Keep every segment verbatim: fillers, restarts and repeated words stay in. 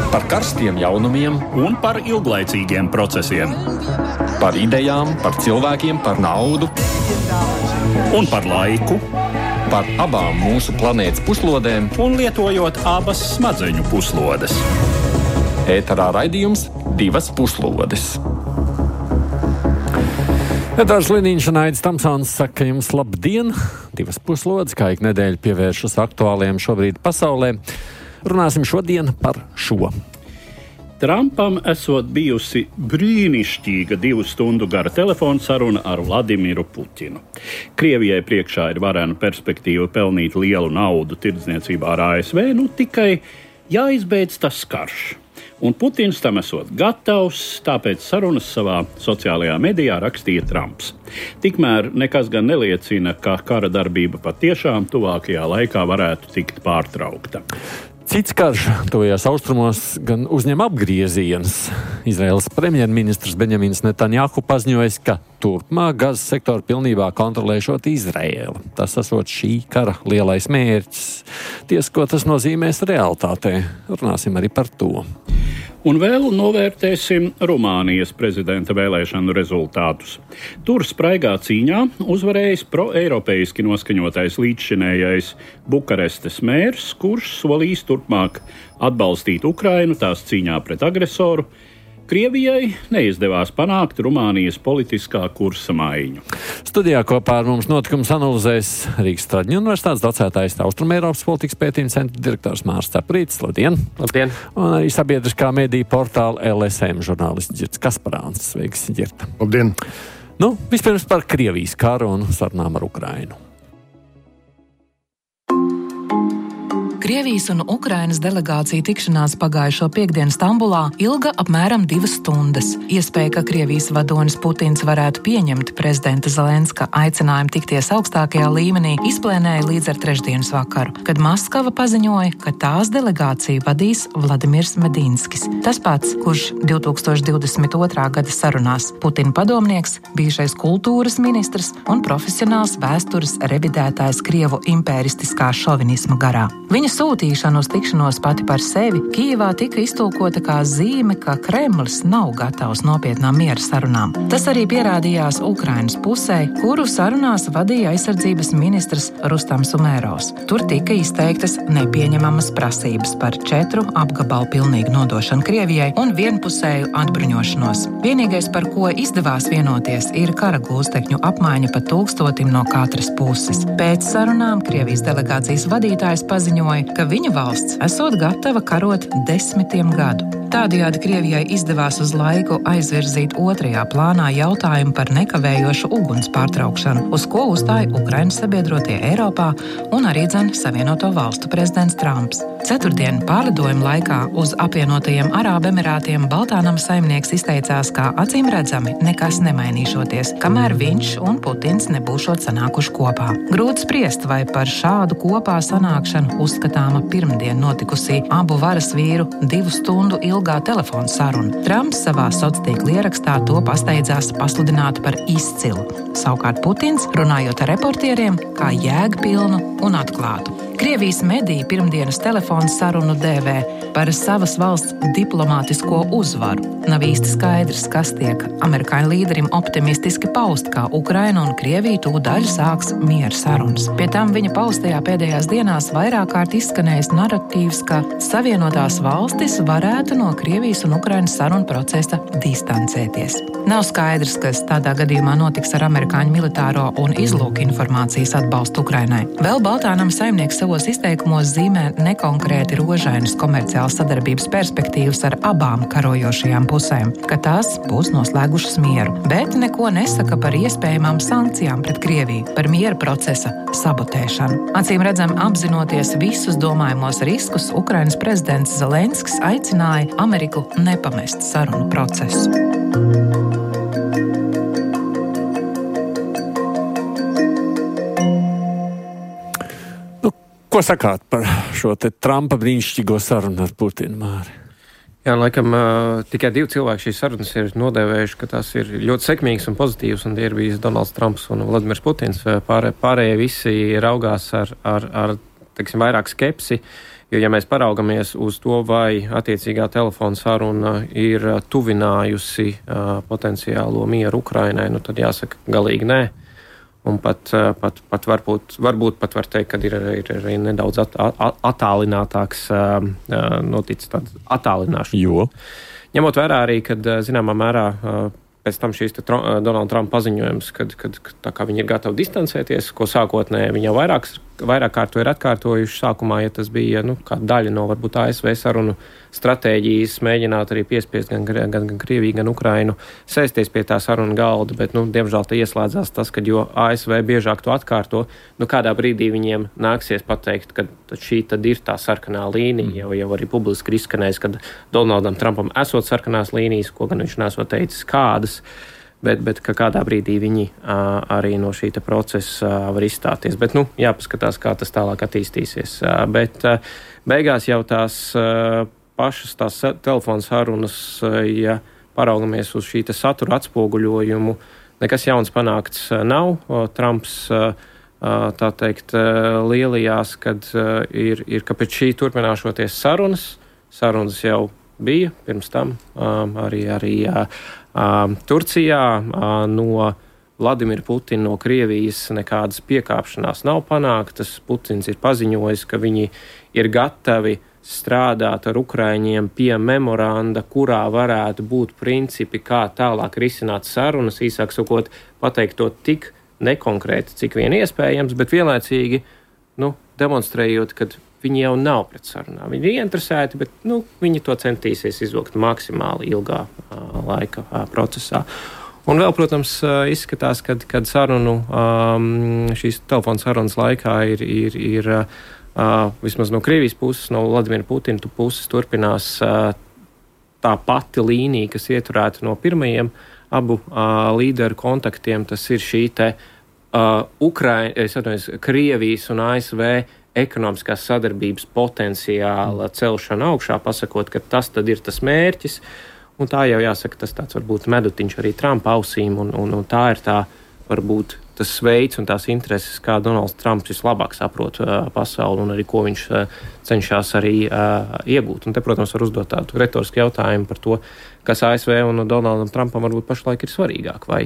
Par karstiem jaunumiem un par ilglaicīgiem procesiem. Par idejām, par cilvēkiem, par naudu un par laiku. Par abām mūsu planētas puslodēm un lietojot abas smadzeņu puslodes. Ēterā raidījums Divas puslodes. Edvards Liniņš un Aidis Tamsons saka jums labdien! Divas puslodes, kā ik nedēļa pievēršas aktuāliem šobrīd pasaulē. Runāsim šodien par šo. Trumpam esot bijusi brīnišķīga divu stundu gara telefona saruna ar Vladimiru Putinu. Krievijai priekšā ir varena perspektīva pelnīt lielu naudu tirdzniecībā ar A S V, nu tikai jāizbeidz tas karš. Un Putins tam esot gatavs, tāpēc sarunas savā sociālajā medijā rakstīja Trumps. Tikmēr nekas gan neliecina, ka kara darbība patiešām tuvākajā laikā varētu tikt pārtraukta. Cits karš tuvajos austrumos gan uzņem apgriezienus. Izraēlas premjerministrs Benjamins Netanjahu paziņojis, ka turpmāk Gazas sektoru pilnībā kontrolēšot Izraēlu. Tas esot šī kara lielais mērķis. Ties, ko tas nozīmēs realitātē, runāsim arī par to. Un vēl novērtēsim Rumānijas prezidenta vēlēšanu rezultātus. Tur spraigā cīņā uzvarējis pro-eiropeiski noskaņotais līdzšinējais Bukarestes mērs, kurš solīs turpmāk atbalstīt Ukrainu tās cīņā pret agresoru. Krievijai neizdevās panākt Rumānijas politiskā kursa maiņu. Studijā kopā ar mums notikums analizēs Rīgas Straģņu universitātes docētājs Austrumēropas politikas pētījuma centra direktors Mārs Ceprītis. Labdien! Labdien! Un arī sabiedriskā mediju portāla L S M žurnālists Ģirds Kasparāns. Sveiks, Ģirta! Labdien! Nu, vispirms par Krievijas karu un sarunām ar Ukrainu. Krievijas un Ukrainas delegācija tikšanās pagājušo piekdienu Stambulā ilga apmēram divas stundas. Iespēja, ka Krievijas vadonis Putins varētu pieņemt prezidenta Zelenska aicinājumu tikties augstākajā līmenī, izplēnēja līdz ar trešdienas vakaru, kad Maskava paziņoja, ka tās delegāciju vadīs Vladimirs Medinskis. Tas pats, kurš divtūkstoš divdesmit otrā gada sarunās Putina padomnieks, bijušais kultūras ministrs un profesionāls vēstures revidētājs Krievu impēristiskā šovinisma garā. Viņa sūtīšana uz tikšanos pati par sevi Kijevā tika iztulkota kā zīme, ka Kremlis nav gatavs nopietnām miera sarunām. Tas arī pierādījās Ukrainas pusē, kuru sarunās vadīja aizsardzības ministrs Rustams Umērovs. Tur tika izteiktas nepieņemamas prasības par četru apgabalu pilnīgu nodošanu Krievijai un vienpusēju atbruņošanos. Vienīgais, par ko izdevās vienoties, ir kara gūstekņu apmaiņa pa tūkstotim no katras puses. Pēc sarunām Krievijas delegācijas vadītājs paziņoja, ka viņa valsts esot gatava karot desmitiem gadu. Tādējādi Krievijai izdevās uz laiku aizvirzīt otrajā plānā jautājumu par nekavējošu uguns pārtraukšanu, uz ko uzstāja Ukrainas sabiedrotie Eiropā un arī dzen Savienoto valstu prezidents Trumps. Ceturtdien pārlidojuma laikā uz apvienotajiem Arābu Emirātiem Baltānama saimnieks izteicās, ka acīm redzami nekas nemainīšoties, kamēr viņš un Putins nebūšot sanākuši kopā. Grūti spriest, vai par šādu kopā sanākšanu uzskatāma pirmdien notikusī abu varas vīru divu stundu ilgā telefona saruna. Trumps savā sociālā ierakstā to pasteidzās pasludināt par izcilu. Savukārt Putins, runājot ar reportieriem, kā jēgpilnu un atklātu. Krievijas mediji pirmdienas telefona sarunu dēvē par savas valsts diplomātisko uzvaru. Nav īsti skaidrs, kas tiek amerikāņu līderim optimistiski paust, kā Ukraina un Krievija tūdaļ sāks miera sarunas. Pie tam viņa paustajā pēdējās dienās vairāk kārt izskanējis naratīvs, ka Savienotās valstis varētu no Krievijas un Ukrainas sarunu procesa distancēties. Nav skaidrs, kas tādā gadījumā notiks ar amerikāņu militāro un izlūku informācijas atbalstu Ukrainai. Vēl Baltānama saimnieks savos izteikumos zīmē nekonkrēti rožainas komerciālas sadarbības perspektīvas ar abām karojošajām pusēm, ka tās būs noslēgušas mieru, bet neko nesaka par iespējamām sankcijām pret Krieviju, par miera procesa sabotēšanu. Acīm redzam, apzinoties visus domājamos riskus, Ukrainas prezidents Zelenskis aicināja Ameriku nepamest sarunu procesu. Ko sakāt par šo te Trumpa brīnišķīgo sarunu ar Putinu, Māri? Jā, laikam uh, tikai divi cilvēki šīs sarunas ir nodēvējuši, ka tās ir ļoti sekmīgas un pozitīvas, un tie ir bijis Donalds Trumps un Vladimirs Putins. Pārē, pārējie visi raugās ar, ar, ar teiksim, vairāk skepsi, Jo, ja mēs paraugamies uz to, vai attiecīgā telefona saruna ir tuvinājusi uh, potenciālo mieru Ukrainai, nu tad jāsaka galīgi nē. Un pat, pat, pat varbūt, varbūt pat var teikt, ka ir arī nedaudz at, at, attālinātāks uh, noticis tāds attālināšana. Jo? Ņemot vērā arī, kad zināmā mērā uh, pēc tam šīs Donalda Trumpa paziņojums, kad, kad tā kā viņi ir gatavi distancēties, ko sākotnēji viņi jau vairāk, vairāk kārtu ir atkārtojuši sākumā, ja tas bija nu, kā daļa no varbūt A S V sarunu stratēģijas, mēģināt arī piespiest gan, gan, gan Krieviju, gan Ukrainu sēsties pie tā saruna galda, bet, nu, diemžēl te ieslēdzās tas, ka jo A S V biežāk to atkārto, nu, kādā brīdī viņiem nāksies pateikt, ka šī tad ir tā sarkanā līnija, jau, jau arī publiski ir izskanējis, kad Donaldam Trumpam esot sarkanās līnijas, ko gan viņš nesot teicis kādas, bet, bet ka kādā brīdī viņi uh, arī no šī procesa uh, var izstāties. Bet, nu, jāpaskatās, kā tas tālāk attīstīsies. Uh, bet uh, beigās jau tās uh, pašas tās telefona sarunas, uh, ja paraugamies uz šī satura atspoguļojumu, nekas jauns panākts uh, nav. Uh, Trumps, uh, uh, tā teikt, uh, lielījās, kad uh, ir, ir, ka pēc šī turpināšoties sarunas, sarunas jau bija pirms tam um, arī, arī uh, uh, Turcijā uh, no Vladimira Putina, no Krievijas nekādas piekāpšanās nav panāktas. Putins ir paziņojis, ka viņi ir gatavi strādāt ar Ukraiņiem pie memoranda, kurā varētu būt principi, kā tālāk risināt sarunas, īsāk sakot, pateikt to tik nekonkrēti, cik vien iespējams, bet vienlaicīgi, nu, demonstrējot, ka viņi jau nav pret sarunām. Viņi ir ieinteresēti, bet nu, viņi to centīsies izvilkt maksimāli ilgā uh, laika uh, procesā. Un vēl, protams, uh, izskatās, kad, kad sarunu, um, šīs telefona sarunas laikā ir, ir, ir uh, vismaz no Krievijas puses, no Vladimira Putina puses turpinās uh, tā pati līnija, kas ieturēta no pirmajiem abu uh, līderu kontaktiem. Tas ir šī te uh, Ukraina, es atvainojos, Krievijas un A S V ekonomiskās sadarbības potenciāla celšana augšā, pasakot, ka tas tad ir tas mērķis, un tā jau jāsaka, tas tāds varbūt medutiņš arī Trumpa ausīm, un, un, un tā ir tā varbūt tas veids un tās intereses, kā Donalds Trumps vislabāk saprot uh, pasauli un arī ko viņš uh, cenšas arī uh, iegūt. Un te, protams, var uzdot tādu retorisku jautājumu par to, kas A S V un Donaldam Trumpam varbūt pašlaik ir svarīgāk, vai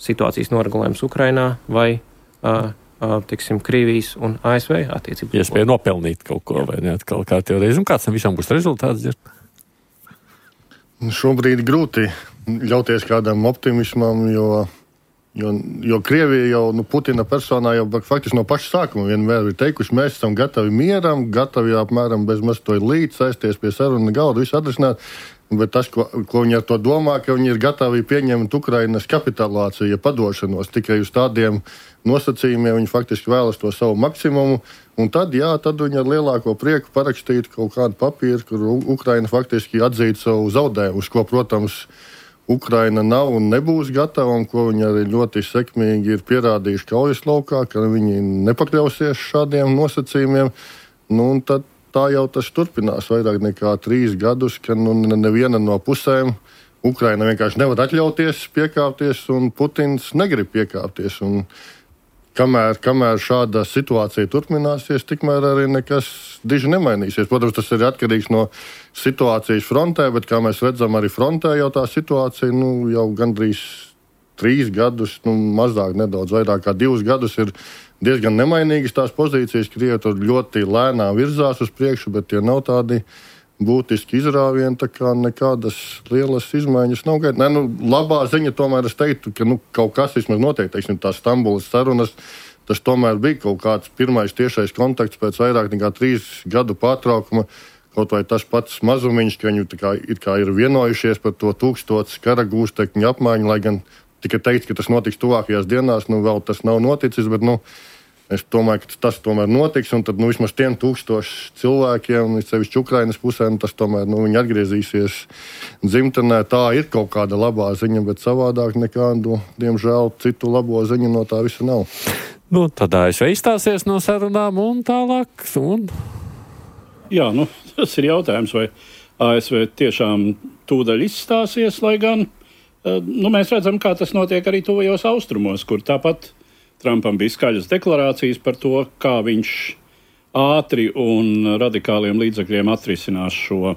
situācijas noregulējums Ukrainā, vai uh, teiksim, Krievijas un A S V attiecības. Iespēja nopelnīt kaut ko, jā. Vai ne, atkal kā tev reiz, un kāds tam visam būs rezultāts? Dzird? Šobrīd grūti ļauties kādam optimismam, jo, jo, jo Krievija jau, nu, Putina personā jau faktiski no paša sākuma vienmēr ir teikuši, mēs esam gatavi mieram, gatavi apmēram bez maz to līdz sēsties pie saruna galda, visu atrisināt. Bet tas, ko, ko viņi ar to domā, ka viņi ir gatavi pieņemt Ukrainas kapitulāciju, ja padošanos tikai uz tādiem nosacījumiem, viņi faktiski vēlas to savu maksimumu, un tad, jā, tad viņi ar lielāko prieku parakstītu kaut kādu papīru, kur Ukraina faktiski atzītu savu zaudējumu, uz ko, protams, Ukraina nav un nebūs gatava, un ko viņi arī ļoti sekmīgi ir pierādījuši kaujas laukā, ka viņi nepakļausies šādiem nosacījumiem, nu, un tad tā jau tas turpinās vairāk nekā trīs gadus, ka nu, neviena no pusēm Ukraina vienkārši nevar atļauties piekāpties, un Putins negrib piekāpties. Un kamēr, kamēr šāda situācija turpināsies, tikmēr arī nekas diži nemainīsies. Protams, tas ir atkarīgs no situācijas frontē, bet kā mēs redzam, arī frontē jau tā situācija nu, jau gandrīz trīs gadus, nu, mazāk nedaudz vairāk kā divus gadus ir diezgan nemainīgas tās pozīcijas, Krievi tur ļoti lēnām virzās uz priekšu, bet tie nav tādi būtiski izrāvieni, tā kā nekādas lielas izmaiņas nav gaidītas. Nē, nu, labā ziņa tomēr es teiktu, ka nu, kaut kas vismaz notiek, teiksim, tās Stambulas sarunas, tas tomēr bija kaut kāds pirmais tiešais kontakts pēc vairāk nekā trīs gadu pārtraukuma, kaut vai tas pats mazumiņš, ka viņi kā, it kā ir vienojušies par to tūkstots kara gūstekņu apmaiņu, lai gan tikai teikt, ka tas notiks tuvākajās dienās, nu vēl tas nav noticis, bet nu, es domāju, ka tas tomēr notiks, un tad nu, vismaz tiem tūkstoši cilvēkiem, sevišķi Ukrainas pusēm, tas tomēr nu, viņi atgriezīsies dzimtenē. Tā ir kaut kāda labā ziņa, bet savādāk nekādu, diemžēl, citu labo ziņu no tā visa nav. Nu, tad A S V izstāsies no sarunām un tālāk. Un... Jā, nu, tas ir jautājums, vai A S V tiešām tūdaļ izstāsies, lai gan nu, mēs redzam, kā tas notiek arī tuvajos austrumos, kur tāpat Trumpam bija skaļas deklarācijas par to, kā viņš ātri un radikāliem līdzekļiem atrisinās šo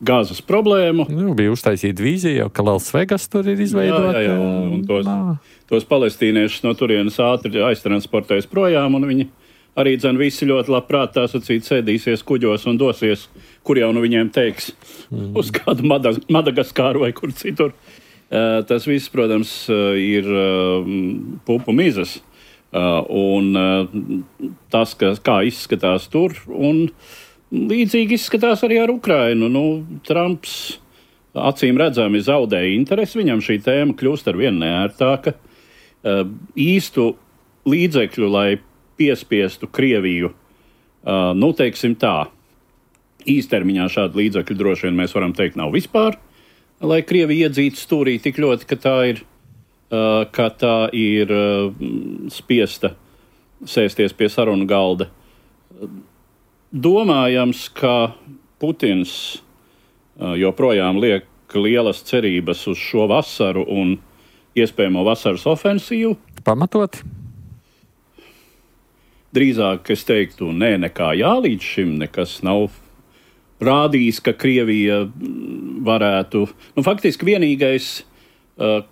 gāzes problēmu. Nu, bija uztaisīta vīzija, ka Las Vegas tur ir izveidota. Jā, jā, jā. Un tos, tos palestīniešus no turienes ātri aiztransportēs projām, un viņi arī dzen visi ļoti labprāt tā sacīt sēdīsies kuģos un dosies, kur jau nu viņiem teiks, mm. uz kādu Madagaskāru vai kur citur. Uh, tas viss, protams, ir uh, pupu mizas. Uh, un uh, tas, ka, kā izskatās tur, un līdzīgi izskatās arī ar Ukrainu. Nu, Trumps acīm redzami zaudēja interesi, viņam šī tēma kļūst ar vien neērtāka. Uh, īstu līdzekļu, lai piespiestu Krieviju, uh, nu, teiksim tā, īstermiņā šādu līdzekļu droši vien mēs varam teikt nav vispār, lai Krievija iedzītu stūrī tik ļoti, ka tā ir Uh, ka tā ir uh, spiesta sēsties pie sarunu galda. Domājams, ka Putins uh, joprojām liek lielas cerības uz šo vasaru un iespējamo vasaras ofensīvu. Pamatoti? Drīzāk es teiktu, nē, nekā jā, līdz šim nekas nav rādījis, ka Krievija varētu... Nu, faktiski vienīgais uh,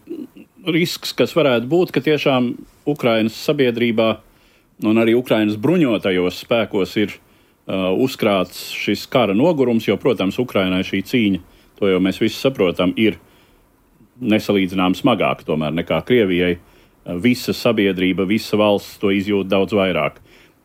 risks, kas varētu būt, ka tiešām Ukrainas sabiedrībā un arī Ukrainas bruņotajos spēkos ir uh, uzkrāts šis kara nogurums, jo, protams, Ukrainai šī cīņa, to jau mēs visi saprotam, ir nesalīdzinām smagāk tomēr nekā Krievijai. Uh, visa sabiedrība, visa valsts to izjūt daudz vairāk.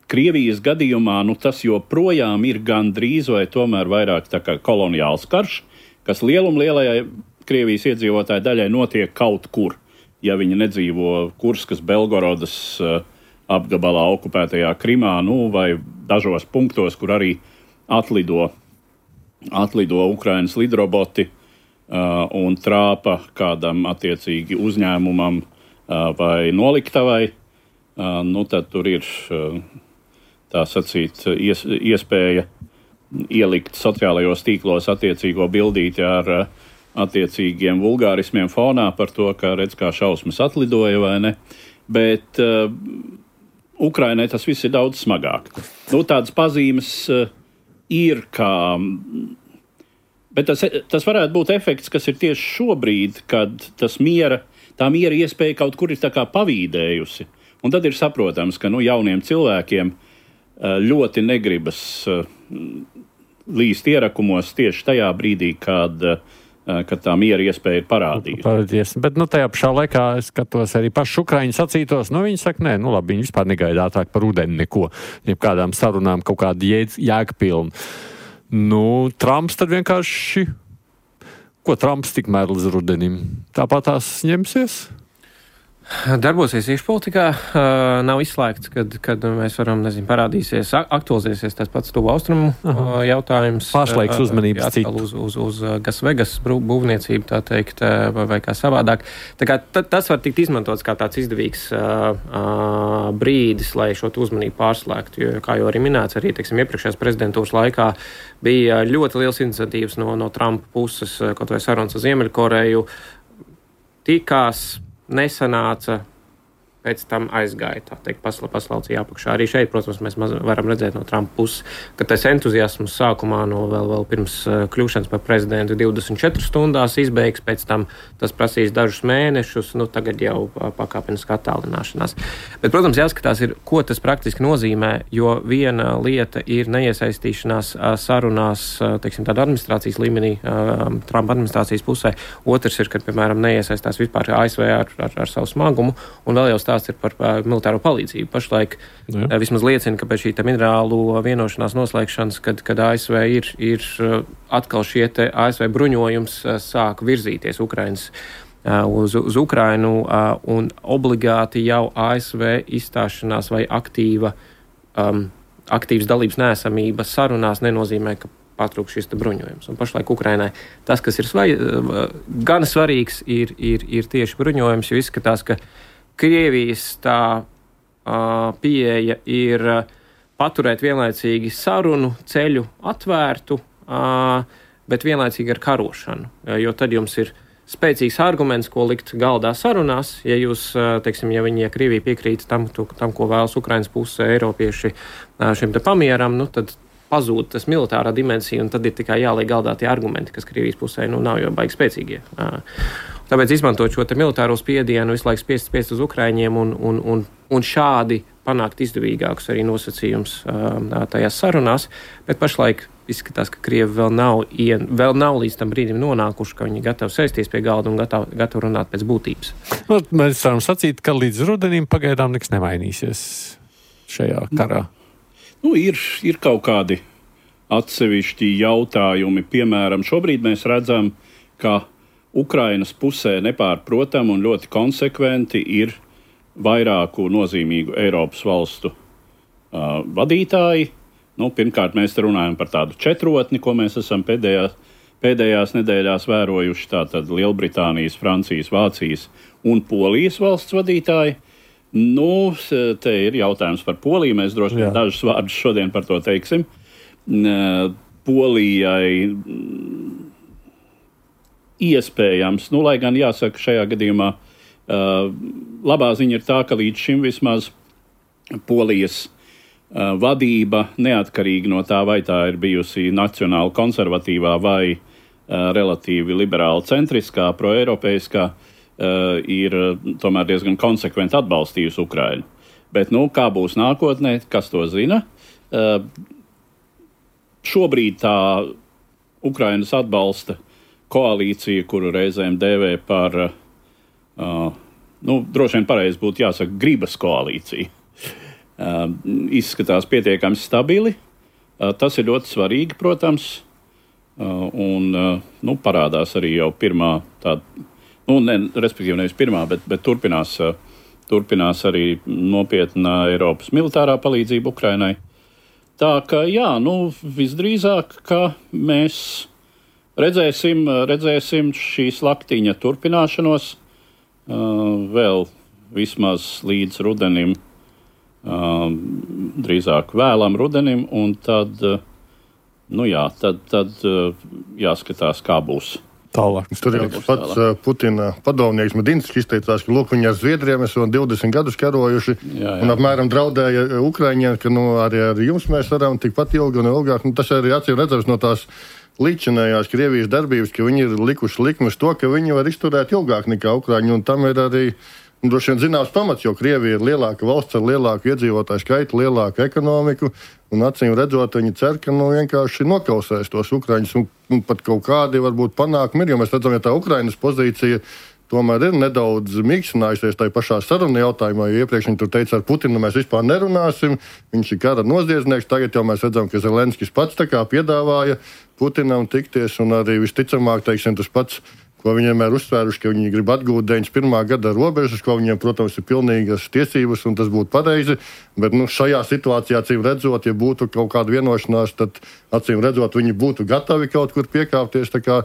Krievijas gadījumā nu, tas joprojām ir gandrīz vai tomēr vairāk tā kā koloniāls karš, kas lielumlielajai Krievijas iedzīvotāju daļai notiek kaut kur. Ja viņi nedzīvo Kurskas, Belgorodas uh, apgabalā okupētajā Krimā, nu, vai dažos punktos, kur arī atlido, atlido Ukrainas lidroboti uh, un trāpa kādam attiecīgi uzņēmumam uh, vai noliktavai, uh, nu, tad tur ir uh, tā sacīt ies, iespēja ielikt sociālajos tīklos attiecīgo bildīti ar uh, attiecīgiem vulgārismiem fonā par to, ka redz, kā šausmas atlidoja vai ne. Bet uh, Ukrainai tas viss ir daudz smagāk. Nu, tādas pazīmes uh, ir, kā... Bet tas, tas varētu būt efekts, kas ir tieši šobrīd, kad tas miera, tā miera iespēja kaut kur ir tā kā pavīdējusi. Un tad ir saprotams, ka nu, jauniem cilvēkiem uh, ļoti negribas uh, līst ierakumos tieši tajā brīdī, kad uh, ka tā miera iespēja ir parādījusies. Bet nu, tajā pašā laikā es skatos arī pašu Ukraiņu sacītos. Nu, viņi saka, nē, nu labi, viņi vispār negaidātāk par rudeni neko. Jeb kādām sarunām kaut kādu jēgpilnu. Nu, Trumps tad vienkārši... Ko Trumps tikmēr līdz rudenim? Tāpat tās ņemsies? Darbosies iekšpolitikā, nav izslēgts, kad, kad mēs varam, nezinu, parādīsies, aktualizēsies tas pats tuvu austrumu Aha. jautājums. Pārslēgs uzmanības citu. Uz, uz, uz Las Vegas būvniecību, tā teikt, vai, vai kā savādāk. Tā kā t- tas var tikt izmantots kā tāds izdevīgs uh, uh, brīdis, lai šo uzmanību pārslēgtu, jo, kā jau arī minēts, arī, teiksim, iepriekšējās prezidentūras laikā bija ļoti liels iniciatīvas no, no Trumpa puses, kaut vai sarunas ar Ziemeļkoreju, tikās, nesanāca, pēc tam aizgāja, tā teikt, pasla, paslaucīja apakšā. Arī šeit, protams, mēs maz, varam redzēt no Trumpa puses, ka tas entuziasms sākumā no vēl, vēl pirms uh, kļūšanas par prezidentu divdesmit četras stundās izbeigs, pēc tam tas prasīs dažus mēnešus, nu tagad jau uh, pakāpeniska attālināšanās. Bet, protams, jāskatās ir, ko tas praktiski nozīmē, jo viena lieta ir neiesaistīšanās uh, sarunās, uh, teiksim, tāda administrācijas līmenī, uh, Trumpa administrācijas pusē. Otrs ir, kad, piemēram, neiesaistās vispār A S V ar, ar, ar savu smagumu, un vēl jau stāsts ir par uh, militāro palīdzību. Pašlaik uh, vismaz liecina, ka pēc šī minerālu vienošanās noslēgšanas, kad, kad A S V ir, ir uh, atkal šie te A S V bruņojums uh, sāk virzīties Ukrainas, uh, uz, uz Ukrainu, uh, un obligāti jau A S V izstāšanās vai aktīva, um, aktīvas dalības neesamība sarunās nenozīmē, ka patrūk šis bruņojums. Un pašlaik Ukrainai tas, kas ir svai, uh, gan svarīgs, ir, ir, ir tieši bruņojums, jo izskatās, ka Krievijas tā uh, pieeja ir uh, paturēt vienlaicīgi sarunu ceļu atvērtu, uh, bet vienlaicīgi ar karošanu. Jo tad jums ir spēcīgs arguments, ko likt galdā sarunās. Ja jūs, teiksim, ja viņi, ja Krievija piekrīt tam, tam ko vēlas Ukrainas puse eiropieši šim te pamieram, nu tad pazūd tas militārā dimensija, un tad ir tikai jāliek galdā tie argumenti, kas Krievijas pusē nu nav jau baigi spēcīgie. Tāpēc izmantot šo te militāro spiedienu, visu laiku spiest, spiest uz Ukraiņiem un, un, un, un šādi panākt izdevīgākus arī nosacījums tajās sarunās, bet pašlaik izskatās, ka Krievi vēl nav, ien, vēl nav līdz tam brīdim nonākuši, ka viņi gatavi sēsties pie galda un gatavi, gatavi runāt pēc būtības. Nu, mēs varam sacīt, ka līdz rudenim pagaidām nekas nemainīsies šajā karā. Nu, ir, ir kaut kādi atsevišķi jautājumi. Piemēram, šobrīd mēs redzam, ka Ukrainas pusē nepārprotam un ļoti konsekventi ir vairāku nozīmīgu Eiropas valstu uh, vadītāji. Nu, pirmkārt, mēs te runājam par tādu četrotni, ko mēs esam pēdējās, pēdējās nedēļās vērojuši. Tātad Lielbritānijas, Francijas, Vācijas un Polijas valsts vadītāji. Nu, te ir jautājums par Poliju. Mēs droši vien dažus vārdus šodien par to teiksim. Polijai iespējams, nu, lai gan jāsaka šajā gadījumā, uh, labā ziņa ir tā, ka līdz šim vismaz Polijas uh, vadība, neatkarīgi no tā, vai tā ir bijusi nacionāli konservatīvā vai uh, relatīvi liberāli centriskā, proeiropeiskā, uh, ir tomēr diezgan konsekventi atbalstījusi Ukrainu. Bet, nu, kā būs nākotnē, kas to zina? Uh, šobrīd tā Ukrainas atbalsta koalīcija, kuru reizēm dēvē par, uh, nu, droši vien pareizi būtu jāsaka, gribas koalīcija, uh, izskatās pietiekami stabili. Uh, tas ir ļoti svarīgi, protams, uh, un uh, nu, parādās arī jau pirmā tāda, nu, ne, respektīvi nevis pirmā, bet, bet turpinās, uh, turpinās arī nopietna Eiropas militārā palīdzība Ukrainai. Tā ka, jā, nu, visdrīzāk, ka mēs Redzēsim, redzēsim šī slaktiņa turpināšanos uh, vēl vismaz līdz rudenim, uh, drīzāk vēlam rudenim, un tad, uh, nu jā, tad, tad uh, jāskatās, kā būs. Tālāk. Tur ir pats uh, Putina padomnieks Medinskis izteicās, ka lūk, viņi ar Zviedriem esam divdesmit gadus karojuši, jā, jā. Un apmēram draudēja Ukraiņiem, ka nu, arī ar jums mēs varam tikpat ilgi un ilgāk. Nu, tas arī acīm redzams no tās līdzinājās Krievijas darbības, ka viņi ir likuši likmes to, ka viņi var izturēt ilgāk nekā Ukraiņi, un tam ir arī nu, droši vien zināms pamats, jo Krievija ir lielāka valsts ar lielāku iedzīvotāju skaitu, lielāku ekonomiku, un acīm redzot, viņi cer, ka nu, vienkārši nokausēs tos Ukraiņus, un, un pat kaut kādi varbūt panākumi ir, jo mēs redzam, ja tā Ukrainas pozīcija tomēr ir nedaudz mīkstinājusies tajā pašā saruna jautājumā, jo iepriekš viņi tur teica, ar Putinu mēs vispār nerunāsim, viņš ir kara noziedznieks, tagad jau mēs redzam, ka Zelenskis pats tā kā piedāvāja Putinam tikties, un arī visticamāk, teiksim, tas pats, ko viņi vienmēr uzsvēruši, ka viņi grib atgūt deviņdesmit pirmā gada robežas, ko viņiem, protams, ir pilnīgas tiesības, un tas būtu pareizi, bet nu, šajā situācijā, acīm redzot, ja būtu kaut kāda vienošanās, tad, acīm redzot, viņi būtu gatavi kaut kur piekāpties, tā kā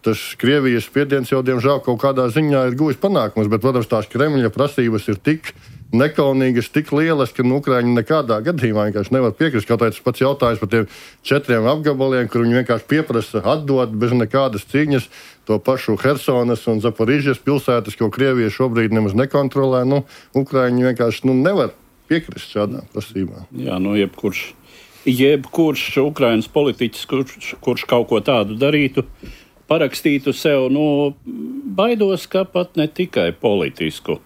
tas Krievijas spiediens jau, diemžēl, kaut kādā ziņā ir guvis panākumus, bet, protams, tās Kremļa prasības ir tik nekaunīgas, tik lielas, ka nu, Ukraiņi nekādā gadījumā vienkārši nevar piekrist. Kaut arī tas pats jautājums par tiem četriem apgabaliem, kur viņi vienkārši pieprasa atdot bez nekādas cīņas to pašu Hersonas un Zaporižas pilsētas, ko Krievija šobrīd nemaz nekontrolē. Nu, Ukraiņi vienkārši nu, nevar piekrist šādām prasībām. Jā, nu jebkurš, jebkurš Ukrainas politiķis, kurš, kurš kaut ko tādu darītu, parakstītu sev, nu, baidos, ka pat ne tikai politisku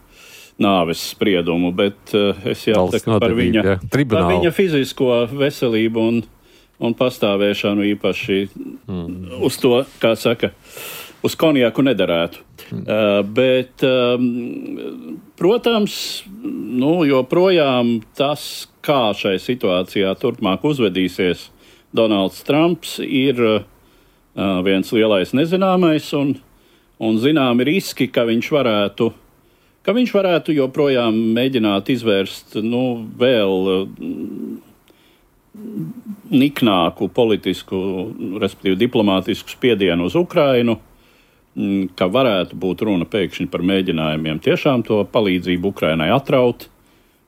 nāves spriedumu, bet uh, es jāsaka par viņa, ja. par viņa fizisko veselību un, un pastāvēšanu īpaši mm. uz to, kā saka, uz konjaku nederētu. Mm. Uh, bet, um, protams, nu, joprojām tas, kā šai situācijā turpmāk uzvedīsies Donalds Trumps, ir uh, viens lielais nezināmais un, un zināmi riski, ka viņš varētu ka viņš varētu joprojām mēģināt izvērst nu, vēl niknāku politisku, respektīvi diplomātisku spiedienu uz Ukrainu, ka varētu būt runa pēkšņi par mēģinājumiem tiešām to palīdzību Ukrainai atraut,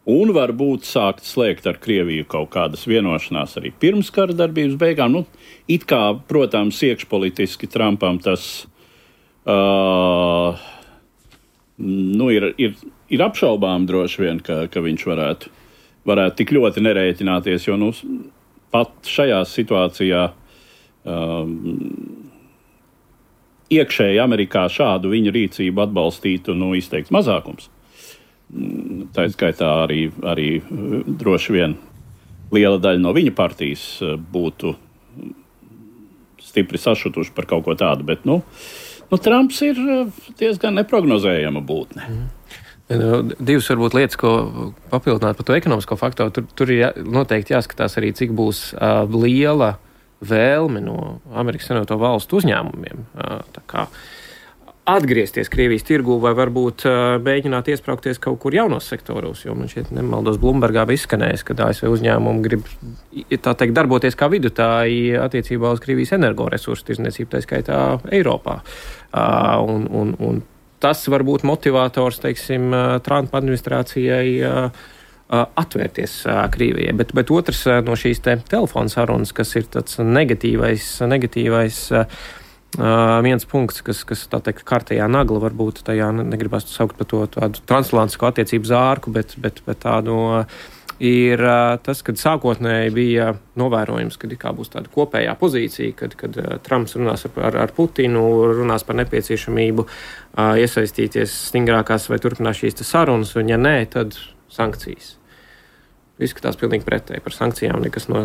un varbūt sākt slēgt ar Krieviju kaut kādas vienošanās arī pirms kara darbības beigām. Nu, it kā, protams, iekšpolitiski Trumpam tas Uh, nu, ir, ir, ir apšaubām droši vien, ka, ka viņš varētu, varētu tik ļoti nerēķināties, jo nu, pat šajā situācijā um, iekšēji Amerikā šādu viņa rīcību atbalstītu nu, izteikts mazākums. Tā skaitā arī, arī droši vien liela daļa no viņa partijas būtu stipri sašutuši par kaut ko tādu, bet nu, nu, Trumps ir diezgan neprognozējama būtne. Mm. Divas varbūt lietas, ko papildināt par to ekonomisko faktoru. Tur, tur ir jā, noteikti jāskatās arī, cik būs uh, liela vēlme no Amerikas Savienoto Valstu uzņēmumiem. Uh, tā kā atgriezties Krievijas tirgū vai varbūt uh, mēģināt iespraukties kaut kur jaunos sektoros, jo man šeit nemaldos Bloombergā bija izskanējis, ka A S V uzņēmumi grib tā teikt darboties kā vidutāji attiecībā uz Krievijas energoresursu tirdzniecību, tā skaitā Eiropā. Uh, un, un, un tas var būt motivators, teiksim, Trumpa administrācijai uh, uh, atvērties uh, Krievijai. Bet, bet otrs uh, no šīs te telefona sarunas, kas ir tāds negatīvais, negatīvais uh, Uh, viens punkts, kas, kas tā teikt, kārtējā nagla varbūt tajā negribas saukt par to tādu transatlantisko attiecību zārku, bet, bet, bet tādu uh, ir uh, tas, kad sākotnēji bija novērojums, kad kā būs tāda kopējā pozīcija, kad, kad uh, Trumps runās ar, ar, ar Putinu, runās par nepieciešamību uh, iesaistīties stingrākās vai turpināt šīs sarunas, un ja nē, tad sankcijas. Izskatās pilnīgi pretēji. Par sankcijām nekas no,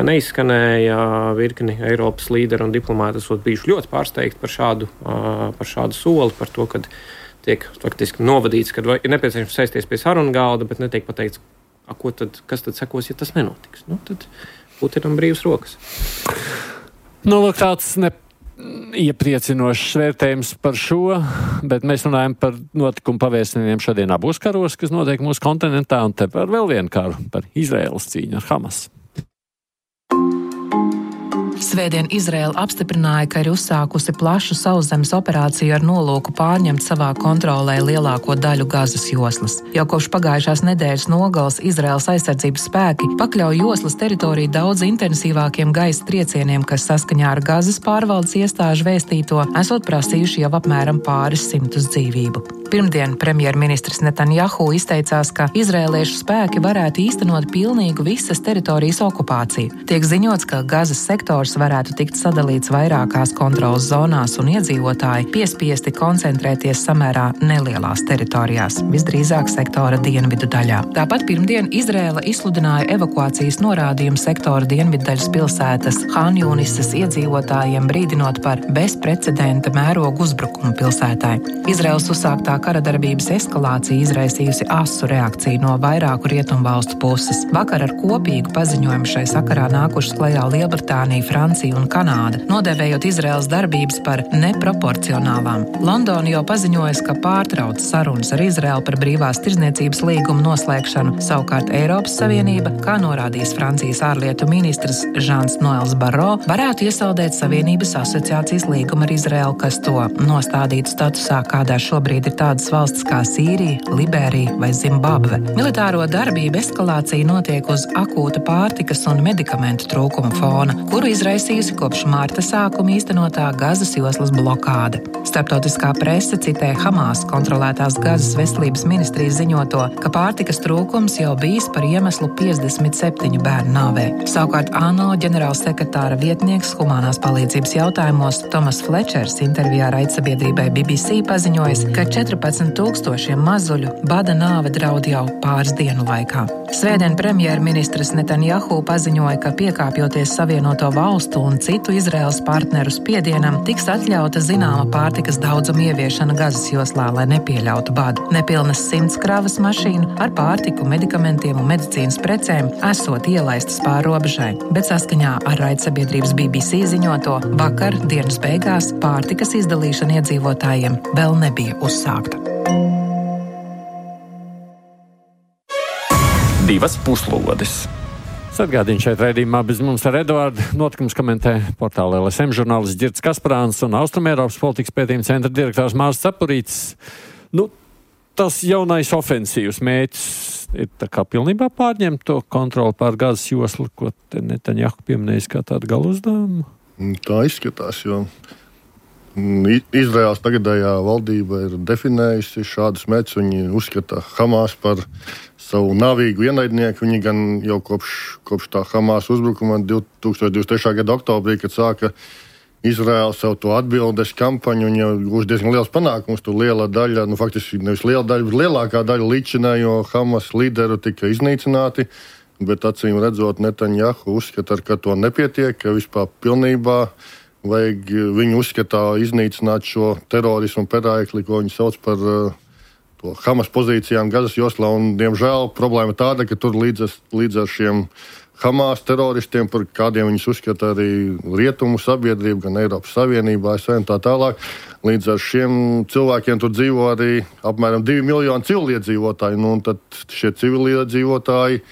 neizskanēja. Virkni Eiropas līderi un diplomāti esot bijuši ļoti pārsteigti par šādu, par šādu soli, par to, ka tiek faktiski novadīts, ka ir nepieciešams sēsties pie sarunu galda, bet netiek pateikts, a, ko tad, kas tad sekos, ja tas nenotiks. Nu, tad Putinam brīvas rokas. Nu, lūk, tāds ne iepriecinošs vērtējums par šo, bet mēs runājam par notikumu pavērsieniem šodien abos karos, kas notiek mūsu kontinentā, un te par vēl vienu karu, par Izraēlas cīņu ar Hamas. Svētdien Izraēla apstiprināja, ka ir uzsākusi plašu sauszemes operāciju ar nolūku pārņemt savā kontrolē lielāko daļu Gazas joslas. Jau kopš pagājušās nedēļas nogales Izraēlas aizsardzības spēki pakļauj joslas teritoriju daudz intensīvākiem gaisa triecieniem, kas saskaņā ar Gazas pārvaldes iestāžu vēstīto esot prasījuši jau apmēram pāris simtus dzīvību. Pirmdien premjerministrs Netanjahu izteicās, ka izraēliešu spēki varētu īstenot pilnīgu visas teritorijas okupāciju. Tiek ziņots, ka Gazas sektors varētu tikt sadalīts vairākās kontrolas zonās un iedzīvotāji piespiesti koncentrēties samērā nelielās teritorijās, visdrīzāk sektora dienvidu daļā. Tāpat pirmdien Izraēla izsludināja evakuācijas norādījumu sektora dienviddaļas pilsētas Hanjunisas iedzīvotājiem, brīdinot par bezprecedenta mērogu uzbrukumu pilsētai. Izraēlas uzsāktā karadarbības eskalācija izraisījusi asu reakciju no vairāku rietumvalstu puses. Vakar ar kopīgu paziņojumu šai sakarā nākušas klajā Lielbritānija, Francija un Kanāda, nodēvējot Izraēlas darbības par neproporcionālām. Londona jau paziņojas, ka pārtrauc sarunas ar Izraēlu par brīvās tirdzniecības līgumu noslēgšanu. Savukārt Eiropas Savienība, kā norādījis Francijas ārlietu ministrs Žans Noels Barro, varētu iesaldēt Savienības asociācijas līgumu ar Izraēlu, kas to nostādītu statusā, kādā šobrīd ir tādas valstis kā Sīrija, Liberija vai Zimbabve. Militāro darbību eskalācija notiek uz akūta pārtikas un medikamentu trūkuma fona, kuru izraisījusi kopš mārta sākuma īstenotā Gazas joslas blokāde. Starptautiskā prese citē Hamas kontrolētās Gazas veselības ministrijas ziņoto, ka pārtikas trūkums jau bijis par iemeslu piecdesmit septiņu bērnu nāvē. Savukārt ANO ģenerālsekretāra vietnieks humanās palīdzības jautājumos Tomas Flečers intervijā raidsabiedrībai B B C paziņojis, ka četrpadsmit tūkstošiem mazuļu bada nāve draud jau pāris dienu laikā. Svētdien premjerministrs Netanjahu paziņoja, ka piekāpjoties Savienoto valstu un citu Izraēlas partneru spiedienam, tiks atļauta zināma pārtikas daudzuma ieviešana Gazas joslā, lai nepieļautu badu. Nepilnas simts kravas mašīnu ar pārtiku, medikamentiem un medicīnas precēm esot ielaistas pāri robežai, bet saskaņā ar raidsabiedrības B B C ziņoto, vakar dienas beigās pārtikas izdalīšana iedzīvotājiem vēl nebija uzsākta. Divas puslodes. Atgādīju šeit raidījumā bez mums ar Eduardu. Notikums komentē portāla L S M žurnālists Ģirds Kasparāns un Austrumēropas politikas pētījuma centra direktors Mārs Cepurītis. Nu, tas jaunais ofensīvs mērķis ir tā kā pilnībā pārņemt to kontroli pār Gazas joslu, ko te Netanjahu pieminējis kā tādu galu uzdevumu? Tā izskatās, jo Izraēlas tagadējā valdība ir definējusi šādus mērķus. Viņi uzskata Hamas par savu navīgu ienaidnieku. Viņi gan jau kopš, kopš tā Hamas uzbrukuma divtūkstoš divdesmit trešā gada oktobrī, kad sāka Izraēla savu to atbildes kampaņu, viņi jau gūs diezgan liels panākums. Tur liela daļa, nu faktiski nevis liela daļa, bet lielākā daļa līdzinējo Hamas līderu tika iznīcināti. Bet acīm redzot, Netanjahu uzskata, ka to nepietiek, ka vispār pilnībā vajag viņu uzskatā iznīcināt šo terorismu perēkli, ko viņi sauc par uh, to Hamas pozīcijām Gazas joslā. Un, diemžēl, problēma tāda, ka tur līdz, līdz ar šiem Hamas teroristiem, par kādiem viņus uzskata arī rietumu sabiedrība, gan Eiropas Savienībā, A S V un tā tālāk, līdz ar šiem cilvēkiem tur dzīvo arī apmēram divi miljoni civiliedzīvotāji. Nu, un tad šie civiliedzīvotāji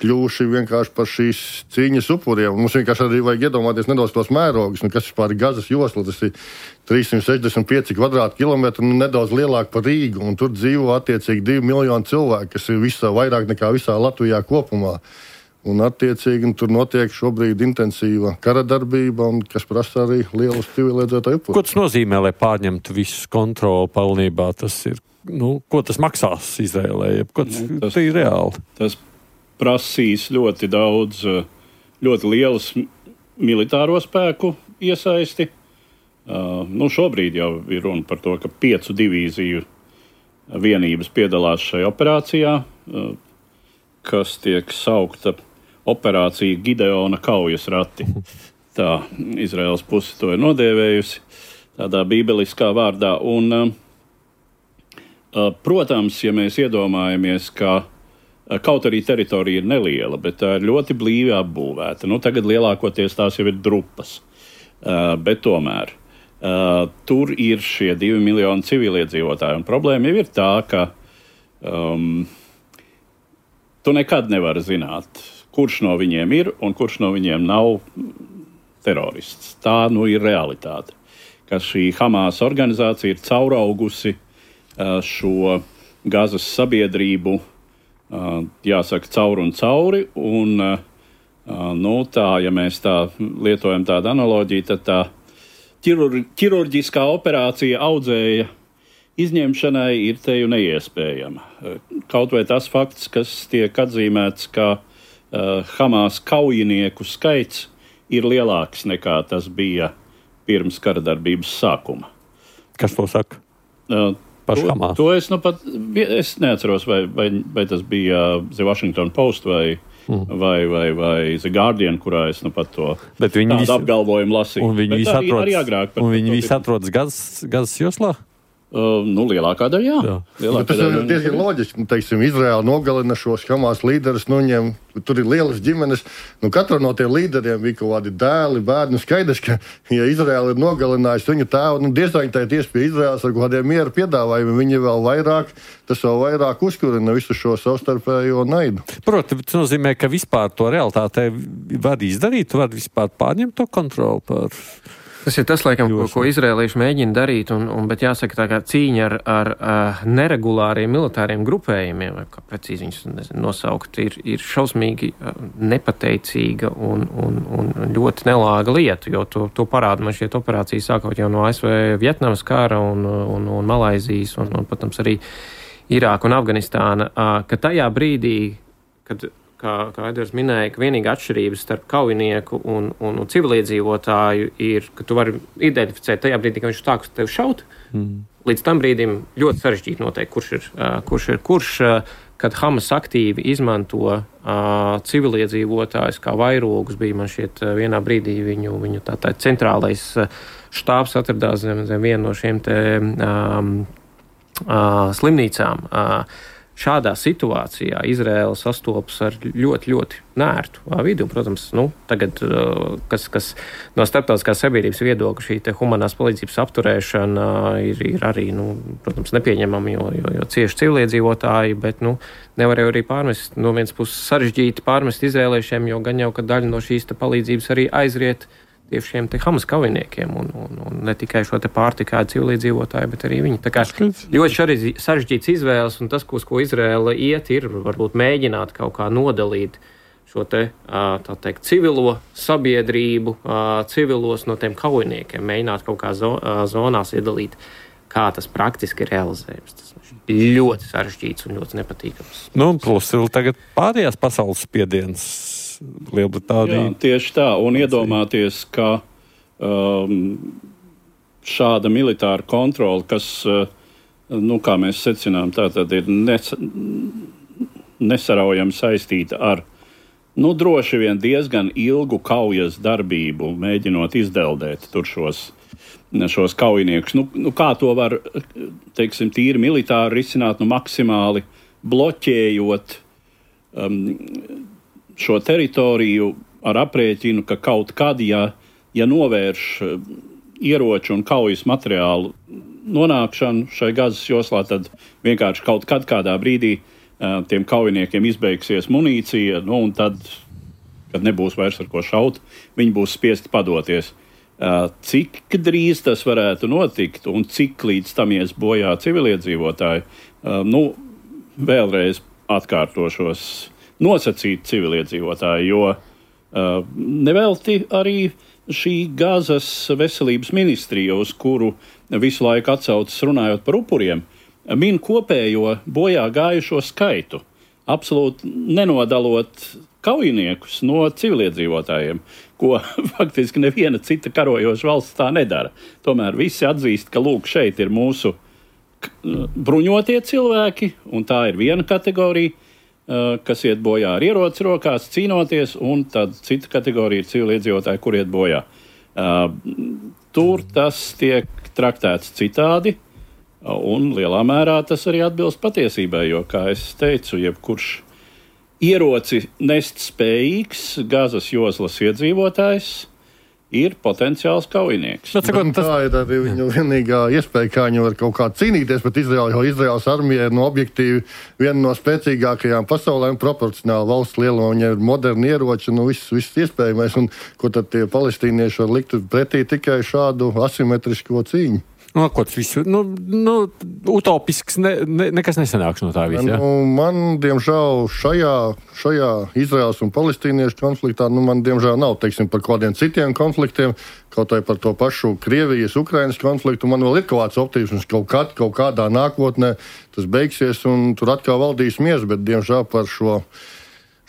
kļuvuši vienkārši par šīs cīņas upuriem. Mums vienkārši arī vajag iedomāties nedaudz tos mērogus, nu, kas vispār ir Gazas josla. Tas ir trīssimt sešdesmit pieci kvadrātkilometri, nu, nedaudz lielāk par Rīgu, un tur dzīvo attiecīgi divi miljoni cilvēku, kas ir visā, vairāk nekā visā Latvijā kopumā. Un attiecīgi tur notiek šobrīd intensīva kara darbība, un kas prasa arī lielus civiliedzīvotāju upurus. Ko tas nozīmē, lai pārņemtu visu kontroli pilnībā? Tas ir, nu, ko tas maksās Izraēlai? Ko tas, nu, tas ir reāli? Tas prasīs ļoti daudz, ļoti lielus militāro spēku iesaisti. Uh, nu šobrīd jau ir runa par to, ka piecu divīziju vienības piedalās šajā operācijā, uh, kas tiek saukta operācija Gideona kaujas rati. Tā Izraēlas puse to ir nodēvējusi tādā bībeliskā vārdā. Un, uh, uh, protams, ja mēs iedomājamies, ka kaut arī teritorija ir neliela, bet tā ir ļoti blīvi apbūvēta. Nu, tagad lielākoties tās jau ir drupas, uh, bet tomēr uh, tur ir šie divi miljoni civiliedzīvotāji. Un problēma jau ir tā, ka um, tu nekad nevari zināt, kurš no viņiem ir un kurš no viņiem nav terorists. Tā nu ir realitāte, ka šī Hamas organizācija ir cauraugusi uh, šo Gazas sabiedrību, Uh, jāsaka, cauri un cauri, un uh, nu, tā, ja mēs tā lietojam tādu analoģiju, tad tā ķirur, ķirurģiskā operācija audzēja izņemšanai ir teju neiespējama. Uh, kaut vai tas fakts, kas tiek atzīmēts, ka uh, Hamas kaujinieku skaits ir lielāks nekā tas bija pirms karadarbības sākuma. Kas to saka? Uh, To, to es, nu pat, es neatceros, vai, vai, vai tas bija The Washington Post vai, mm. vai, vai, vai The Guardian, kurā es nu pat to tādu apgalvojumu lasīju. Un viņi visi atrodas, agrāk, un viņi visi atrodas Gazas, Gazas joslā? Uh, nu, lielākā daļa, jā. jā. Lielākā tas ir diezgan loģiski. Nu, teiksim, Izraēla nogalina šos Hamas līderus, nu, viņiem tur ir lielas ģimenes. Nu, katra no tiem līderiem bija kaut kādi dēli, bērni. Skaidrs, ka, ja Izraēla ir nogalinājusi viņu tēvu, nu, diezgan tā ir tieši pie Izraēlas ar kādiem miera piedāvājumiem. Viņi vēl vairāk, tas vēl vairāk uzkurina visu šo savstarpējo naidu. Protams, tas nozīmē, ka vispār to realitātē var izdarīt, var vispār pārņemt to kontroli par... Tas ir tas, laikam, ko, ko izrēlieši mēģina darīt, un, un, bet jāsaka, tā kā cīņa ar, ar, ar neregulāriem militāriem grupējumiem, vai kā precīzi viņus nezinu, nosaukt, ir, ir šausmīgi nepateicīga un, un, un ļoti nelāga lieta, jo to, to parāda man šķiet operācijas sākot jau no A S V Vietnamas kara un, un, un Malaizijas un, un, protams, arī Irāka un Afganistāna, ka tajā brīdī, kad Kā, kā Edvards minēja, ka vienīgā atšķirības starp kaujinieku un, un, un civiliedzīvotāju ir, ka tu vari identificēt tajā brīdī, ka viņš stāks tev šaut. Mm. Līdz tam brīdim ļoti sarežģīti noteikt, kurš ir uh, kurš, ir, kurš uh, kad Hamas aktīvi izmanto uh, civiliedzīvotājus kā vairogus, bija man šķiet uh, vienā brīdī viņu, viņu tā, tā centrālais uh, štābs atradās zem, zem vienu no šiem te um, uh, slimnīcām. Uh, Šādā situācijā Izraēla sastopas ar ļoti, ļoti nērtu vidu. Protams, nu, tagad, kas, kas no starptautiskās sabiedrības viedokļa šī te humanās palīdzības apturēšana ir, ir arī, nu, protams, nepieņemama, jo, jo, jo cieši civiliedzīvotāji, bet, nu, nevar jau arī pārmest, no vienas puses sarežģīti pārmest izrēliešiem, jo gan jau, ka daļa no šīs te palīdzības arī aizriet tieši šiem te Hamas kaujiniekiem un, un, un ne tikai šo te pārtikādu civiliedzīvotāju, bet arī viņi. Tā kā ļoti sarežģīts izvēles un tas, ko, ko Izraēla iet, ir varbūt mēģināt kaut kā nodalīt šo te, tā teikt, civilo sabiedrību, civilos no tiem kaujiniekiem, mēģināt kaut kā zonās iedalīt, kā tas praktiski ir realizējums. Tas ir ļoti sarežģīts un ļoti nepatīkams. Nu, plus vēl tagad pārējās pasaules spiediens Lielbritānija. Jā, tieši tā, un iedomāties, ka um, šāda militāra kontrola, kas, uh, nu, kā mēs secinām, tātad ir nes, nesaraujami saistīta ar, nu, droši vien diezgan ilgu kaujas darbību, mēģinot izdeldēt tur šos, šos kaujiniekus. Nu, nu, kā to var, teiksim, tīri militāri risināt, nu, maksimāli bloķējot um, šo teritoriju ar aprēķinu, ka kaut kad, ja, ja novērš ieroču un kaujas materiālu nonākšanu šai Gazas joslā, tad vienkārši kaut kad kādā brīdī uh, tiem kaujiniekiem izbeigsies munīcija, nu, un tad, kad nebūs vairs ar ko šaut, viņi būs spiesti padoties. Uh, cik drīz tas varētu notikt un cik līdz tam ies bojā civiliedzīvotāji, uh, nu, vēlreiz atkārtošos, nosacīt civiliedzīvotāji, jo uh, nevelti arī šī Gazas veselības ministrija, uz kuru visu laiku atsaucas runājot par upuriem, min kopējo bojā gājušo skaitu, absolūti nenodalot kaujiniekus no civiliedzīvotājiem, ko faktiski neviena cita karojoša valsts tā nedara. Tomēr visi atzīst, ka lūk, šeit ir mūsu bruņotie cilvēki, un tā ir viena kategorija, kas iet bojā ar ieroci rokās, cīnoties, un tad cita kategorija ir civiliedzīvotāji, kur iet bojā. Tur tas tiek traktēts citādi, un lielā mērā tas arī atbilst patiesībai, jo, kā es teicu, jebkurš ieroci nest spējīgs Gazas joslas iedzīvotājs ir potenciāls kaujinieks. Bet, bet, tas... Tā ir arī viņu vienīgā iespēja, kā viņi var kaut kā cīnīties pret Izraelu, jo Izraels armija ir no objektīvi viena no spēcīgākajām pasaulē un proporcionāli valsts lielumā. Viņai ir moderni ieroči, nu viss, viss iespējamais, un ko tad tie palestīnieši var likt pretī tikai šādu asimetrisko cīņu. No, ko tas visu, nu, nu, utopisks, ne, ne, nekas nesanāks no tā visa, ja? Nu, man, diemžēl, šajā, šajā Izraels un palestīniešu konfliktā, nu, man, diemžēl, nav, teiksim, par kādiem citiem konfliktiem, kaut vai par to pašu Krievijas, Ukrainas konfliktu, man vēl ir kaut kāds optimisms, kaut kad, kaut kādā nākotnē tas beigsies un tur atkal valdīs miers, bet, diemžēl, par šo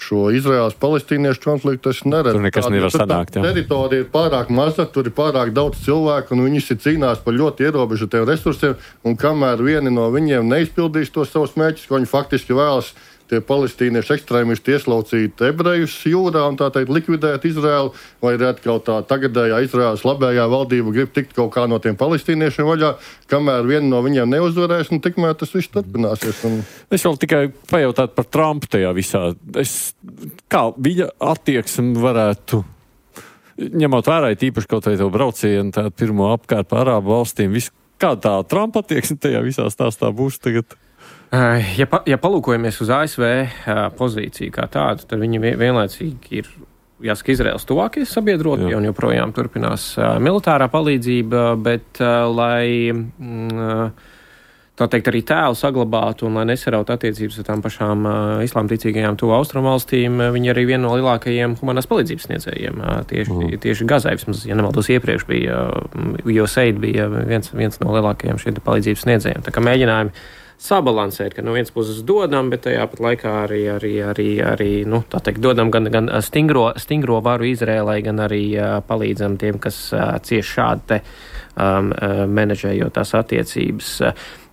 šo Izraels-palestīniešu konfliktu es neredzu. Tur nekas nevar sanākt, jā. Teritorija ir pārāk maza, tur ir pārāk daudz cilvēku, un viņi cīnās par ļoti ierobežotiem resursiem, un kamēr vieni no viņiem neizpildīs tos savus mērķus, ko viņi faktiski vēlas, tie palestīniešu ekstrēmisti ieslaucīt ebrejus jūrā un tā teikt likvidēt Izraelu, vai arī atkal tā tagadējā Izraels labējā valdība grib tikt kaut kā no tiem palestīniešiem vaļā, kamēr vieni no viņiem neuzvarēs, un tikmēr tas viss turpināsies. Un... Es vēl tikai pajautātu par Trumpu tajā visā. Es, kā viņa attieksme varētu, ņemot vērā tīpaši kaut vai to braucienu, tā pirmo apkārt par Arābu valstīm, visu, kā tā Trumpa attieksme tajā visā stāstā būs tagad? Ja, pa, ja palūkojamies uz A S V pozīciju kā tādu, tad viņi vienlaicīgi ir, jāsaka, Izraels tuvākie sabiedrotie, un joprojām turpinās militārā palīdzība, bet lai, tā teikt, arī tēlu saglabātu un lai nesarautu attiecības ar tām pašām islāmticīgajām tuvu austrumu valstīm, viņi arī viena no lielākajiem humanās palīdzības sniedzējiem tieši, mm. tieši Gazai. Vismaz, ja nemaldos, iepriekš bija, U S A I D bija viens, viens no lielākajiem šiem palīdzības sniedzējiem. Tā kā mēģinājumi sabalansēt, ka no vienas puses dodam, bet tajā pat laikā arī, arī, arī, arī nu, tā teikt, dodam gan, gan stingro, stingro varu Izrēlai, gan arī uh, palīdzam tiem, kas uh, cieši šādi te um, uh, menedžējot tās attiecības.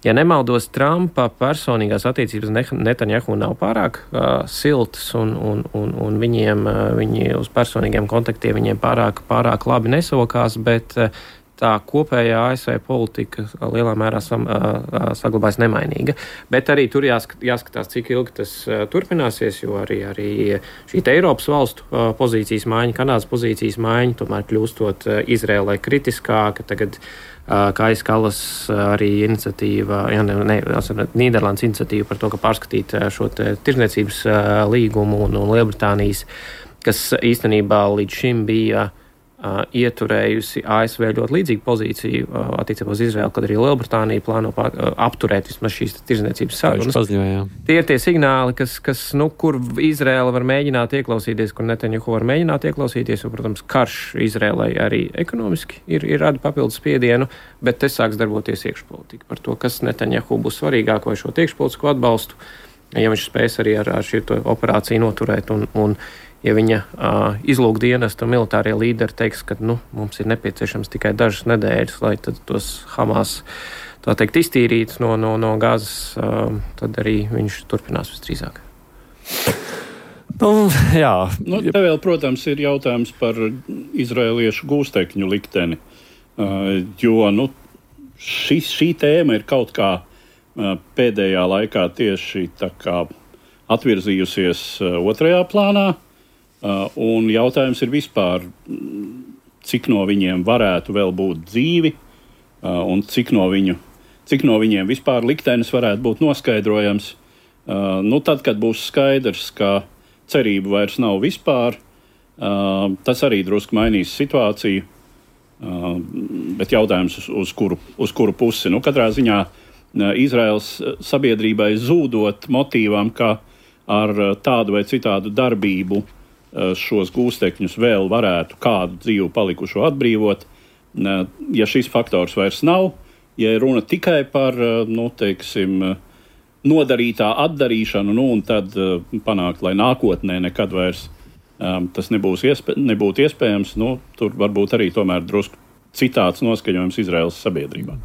Ja nemaldos, Trumpa personīgās attiecības Netanjahu nav pārāk uh, siltas, un, un, un, un viņiem, uh, viņi uz personīgiem kontaktiem viņiem pārāk, pārāk labi nesokās, bet uh, tā kopējā A S V politika lielā mērā sam, uh, saglabājas nemainīga. Bet arī tur jāskat, jāskatās, cik ilgi tas uh, turpināsies, jo arī, arī šī Eiropas valstu uh, pozīcijas maiņa, Kanādas pozīcijas maiņa, tomēr kļūstot uh, Izrēlai kritiskāka. Tagad uh, Kais Kallas uh, arī iniciatīva, ja ne, ne, Nīderlandes iniciatīva par to, ka pārskatīt uh, šo te tirzniecības uh, līgumu un, un Lielbritānijas, kas īstenībā līdz šim bija uh, ieturējusi A S V ļoti līdzīgu pozīciju uh, attiecībā uz Izraelu, kad arī Lielbritānija plāno pār, uh, apturēt vismaz šīs tirzniecības sarunas. Tie ir tie signāli, kas, kas nu, kur Izraela var mēģināt ieklausīties, kur Netanjahu var mēģināt ieklausīties, jo, protams, karš Izraelai arī ekonomiski ir, ir rada papildus spiedienu, bet te sāks darboties iekšpolitika par to, kas Netanjahu būs svarīgāk vai šo iekšpolitisko atbalstu, ja viņš spēs arī ar, ar šī operāciju noturēt un, un ja viņa uh, izlūkdienesta militārie līderi teiks, ka nu, mums ir nepieciešams tikai dažas nedēļas, lai tad tos Hamas, tā teikt, iztīrīt no, no, no gazas, uh, tad arī viņš turpinās visdrīzāk. Nu, jā. Nu, te vēl, protams, ir jautājums par izraeliešu gūstekņu likteni, uh, jo nu, šī, šī tēma ir kaut kā uh, pēdējā laikā tieši tā kā atvirzījusies uh, otrajā plānā. Uh, un jautājums ir vispār, cik no viņiem varētu vēl būt dzīvi, uh, un cik no, viņu, cik no viņiem vispār liktenis varētu būt noskaidrojams. Uh, nu, tad, kad būs skaidrs, ka cerību vairs nav vispār, uh, tas arī drusku mainīs situāciju, uh, bet jautājums, uz, uz, kuru, uz kuru pusi. Nu, katrā ziņā uh, Izraels sabiedrībai zūdot motīvam, ka ar uh, tādu vai citādu darbību šos gūstekņus vēl varētu kādu dzīvu palikušo atbrīvot. Ja šis faktors vairs nav, ja runa tikai par, nu, teiksim, nodarītā atdarīšanu, nu, un tad panākt, lai nākotnē nekad vairs um, tas nebūs iespē, nebūtu iespējams, nu, tur varbūt arī tomēr drusku citāds noskaņojums Izraēlas sabiedrībā.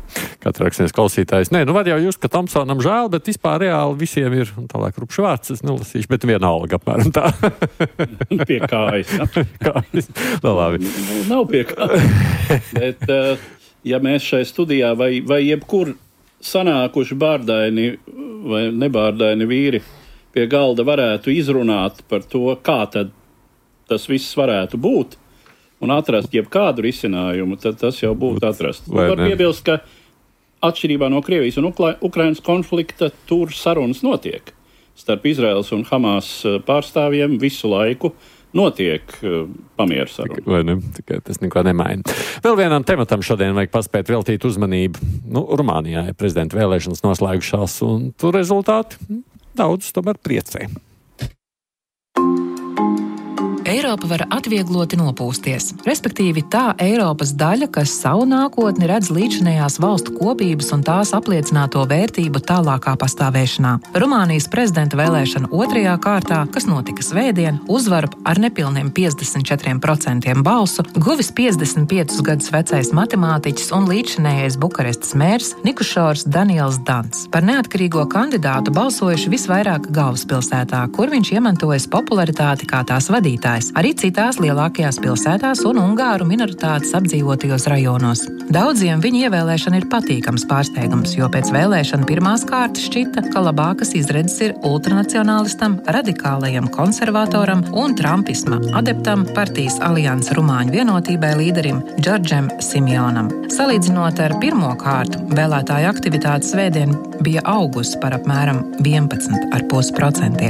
Katra rakstnieks klausītājs. Nē, nu var jau just, ka Tomsonam žēl, bet vispār reāli visiem ir, un tālāk rupšu vārds, es nelasīšu, bet vienalga apmēram tā. Pie kājas. Kājas. No, labi. Nav pie kājas. Bet, ja mēs šai studijā vai, vai jebkur sanākuši bārdaini vai nebārdaini vīri pie galda varētu izrunāt par to, kā tad tas viss varētu būt, un atrast jebkādu risinājumu, tad tas jau būtu atrasts. Var piebilst, ka atšķirībā no Krievijas un Ukla- Ukrainas konflikta tur sarunas notiek. Starp Izraels un Hamas pārstāvjiem visu laiku notiek uh, pamieru saruna. Vai ne? Tikai tas neko nemaina. Vēl vienam tematam šodien vajag paspēt veltīt uzmanību. Nu, Rumānijā ir prezidenta vēlēšanas noslēgušās, un tur rezultāti daudz tomēr priecē. Eiropa var atviegloti nopūsties, respektīvi tā Eiropas daļa, kas savu nākotni redz līdzinējās valstu kopības un tās apliecināto vērtību tālākā pastāvēšanā. Rumānijas prezidenta vēlēšana otrajā kārtā, kas notika svētdien, uzvaru ar nepilniem piecdesmit četriem procentiem balsu guvis piecdesmit piecus gadus vecais matemātiķis un līdzinējais Bukarestas mērs Nikušors Daniels Dans. Par neatkarīgo kandidātu balsojuši visvairāk galvaspilsētā, kur viņš iemantojas popularitāti kā tās vadītājs. Arī citās lielākajās pilsētās un ungāru minoritātes apdzīvotajos rajonos. Daudziem viņa ievēlēšana ir patīkams pārsteigums, jo pēc vēlēšana pirmās kārtas šķita, ka labākas izredzes ir ultranacionālistam, radikālajam konservatoram un trumpisma adeptam partijas Alianses Rumāņu vienotībai līderim Džordžem Simjonam. Salīdzinot ar pirmo kārtu, vēlētāju aktivitāte svētdien bija augusi par apmēram vienpadsmit komats pieci procenti,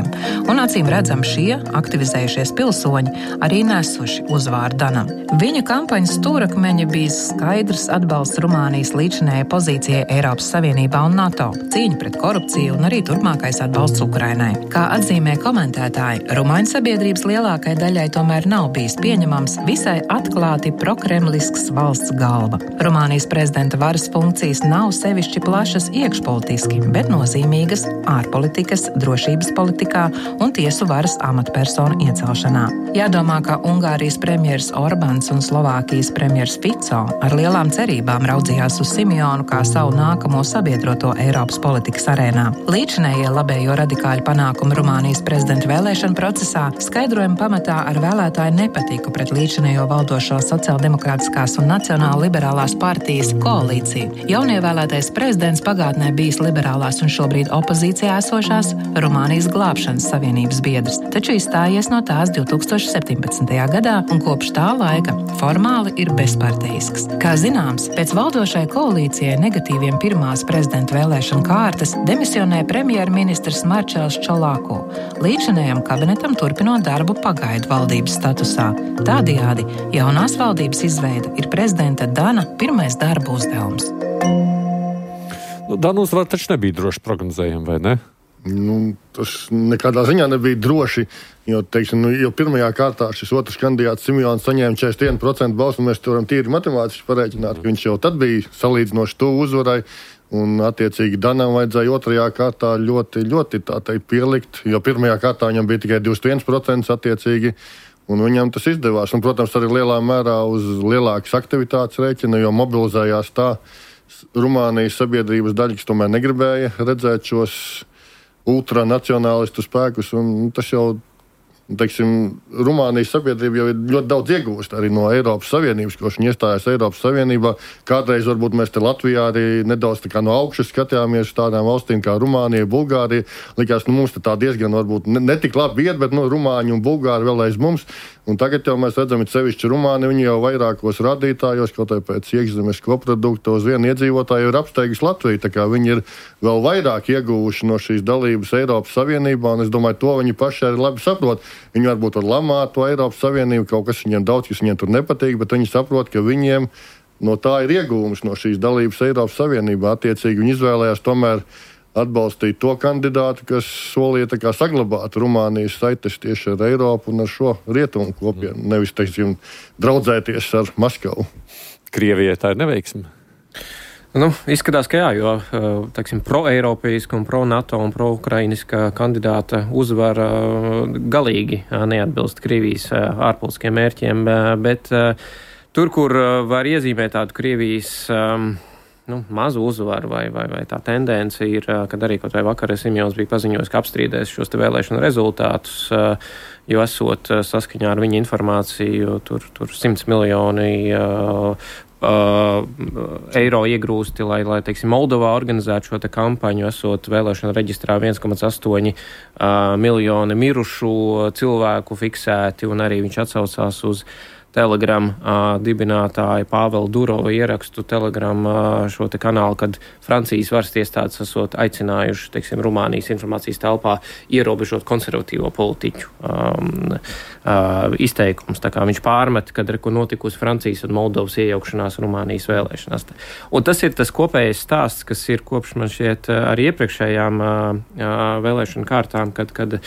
un acīm redzam šie aktivizējušies pilsoņi arī nesuši uzvārdu Danam. Viņa kampaņas stūrakmeņa bija skaidrs atbalsts Rumānijas līdzinējai pozīcijai Eiropas Savienībā un NATO, cīņa pret korupciju un arī turpmākais atbalsts Ukrainai. Kā atzīmē komentētāji, rumāņu sabiedrības lielākai daļai tomēr nav bijis pieņemams visai atklāti prokremlisks valsts galva. Rumānijas prezidenta varas funkcijas nav sevišķi plašas iekšpolitiski, bet nozīmīgas ārpolitikas, drošības politikā un tiesu varas amatpersonu iecelšanā. Jādomā, ka Ungārijas premjers Orbāns un Slovākijas premjers Fico ar lielām cerībām raudzījās uz Simjonu kā savu nākamo sabiedroto Eiropas politikas arēnā. Līdzinējie labējo radikāļu panākumi Rumānijas prezidenta vēlēšana procesā skaidrojuma pamatā ar vēlētāju nepatiku pret līdzinējo valdošo sociāldemokrātiskās un nacionāla liberālās partijas koalīciju. Jaunievēlētais prezidents pagātnē bijis liberālās un šobrīd opozīcijā esošās Rumānijas glābšanas savienības biedrs, taču izstājies no tās divi tūkstoši septiņpadsmitajā gadā un kopš tā laika formāli ir bezparteisks. Kā zināms, pēc valdošai koalīcijai negatīviem pirmās prezidenta vēlēšana kārtas demisionē premjerministrs Marčels Čolāko, līdzinējam kabinetam turpinot darbu pagaidu valdības statusā. Tādējādi jaunās valdības izveida ir prezidenta Dana pirmais darba uzdevums. Nu, Dana uzvar taču nebija droši prognozējami, vai ne? Nu, tas nekādā ziņā nebija droši, jo, teiksim, nu, jo pirmajā kārtā šis otrs kandidāts Simjons saņēma četrdesmit vienu procentu balsu, un mēs to varam tīri matemātiski pareiķināt, ka viņš jau tad bija salīdzinoši tuvu uzvarai, un attiecīgi Danam vajadzēja otrajā kārtā ļoti, ļoti tā teikt pielikt, jo pirmajā kārtā viņam bija tikai divdesmit viens procents attiecīgi, un viņam tas izdevās. Un, protams, arī lielā mērā uz lielākas aktivitātes rēķina, jo mobilizējās tā Rumānijas sabiedrības daļa, kas tomēr negribēja redzēt šos ultranacionālistu spēkus, un tas jau, teiksim, Rumānijas sabiedrība jau ir ļoti daudz iegūst arī no Eiropas Savienības, ko viņi iestājās Eiropas Savienībā. Kādreiz varbūt mēs te Latvijā arī nedaudz tā kā no augšas skatījāmies tādām valstīm kā Rumānija, Bulgārija. Likās, nu mums te tā diezgan varbūt ne, ne tik labi iet, bet nu Rumāņi un Bulgāri vēl aiz mums. Un tagad jau mēs redzam, ir sevišķi Rumāni, viņi jau vairākos rādītājos, kaut arī pēc iekšzemes koprodukta uz vienu iedzīvotāju ir apsteiguši Latviju, tā kā viņi ir vēl vairāk ieguvuši no šīs dalības Eiropas Savienībā, un es domāju, to viņi paši arī labi saprot. Viņi varbūt var lamāt to Eiropas Savienību, kaut kas viņiem daudz, kas viņiem tur nepatīk, bet viņi saprot, ka viņiem no tā ir ieguvums no šīs dalības Eiropas Savienībā. Attiecīgi viņi izvēlējās tomēr atbalstīt to kandidātu, kas solīja tā kā saglabāt Rumānijas saites tieši ar Eiropu un ar šo rietumu kopienu, nevis, teiksim, draudzēties ar Maskavu. Krievijai tā ir neveiksme? Nu, izskatās, ka jā, jo, teiksim, pro-eiropeiska un pro-NATO un pro-ukrainiska kandidāta uzvara galīgi neatbilst Krievijas ārpolitiskiem mērķiem, bet tur, kur var iezīmēt tādu Krievijas nu, mazu uzvaru vai, vai, vai tā tendence ir, kad arī kaut vai vakar Simjons bija paziņojis, ka apstrīdēs šos te vēlēšanu rezultātus, jo esot saskaņā ar viņa informāciju, tur, tur simts miljoni uh, uh, eiro iegrūsti, lai, lai teiksim, Moldovā organizētu šo te kampaņu, esot vēlēšanu reģistrā viens komats astoņi uh, miljoni mirušu cilvēku fiksēti, un arī viņš atsaucās uz Telegram uh, dibinātāja Pāvela Durova ierakstu Telegram uh, šo te kanālu, kad Francijas varas iestādes esot aicinājuši, teiksim, Rumānijas informācijas telpā ierobežot konservatīvo politiķu um, uh, izteikums. Tā kā viņš pārmet, kad ir notikusi Francijas un Moldovas iejaukšanās Rumānijas vēlēšanās. Un tas ir tas kopējais stāsts, kas ir kopš man šķiet arī iepriekšējām uh, uh, vēlēšanu kārtām, kad, kad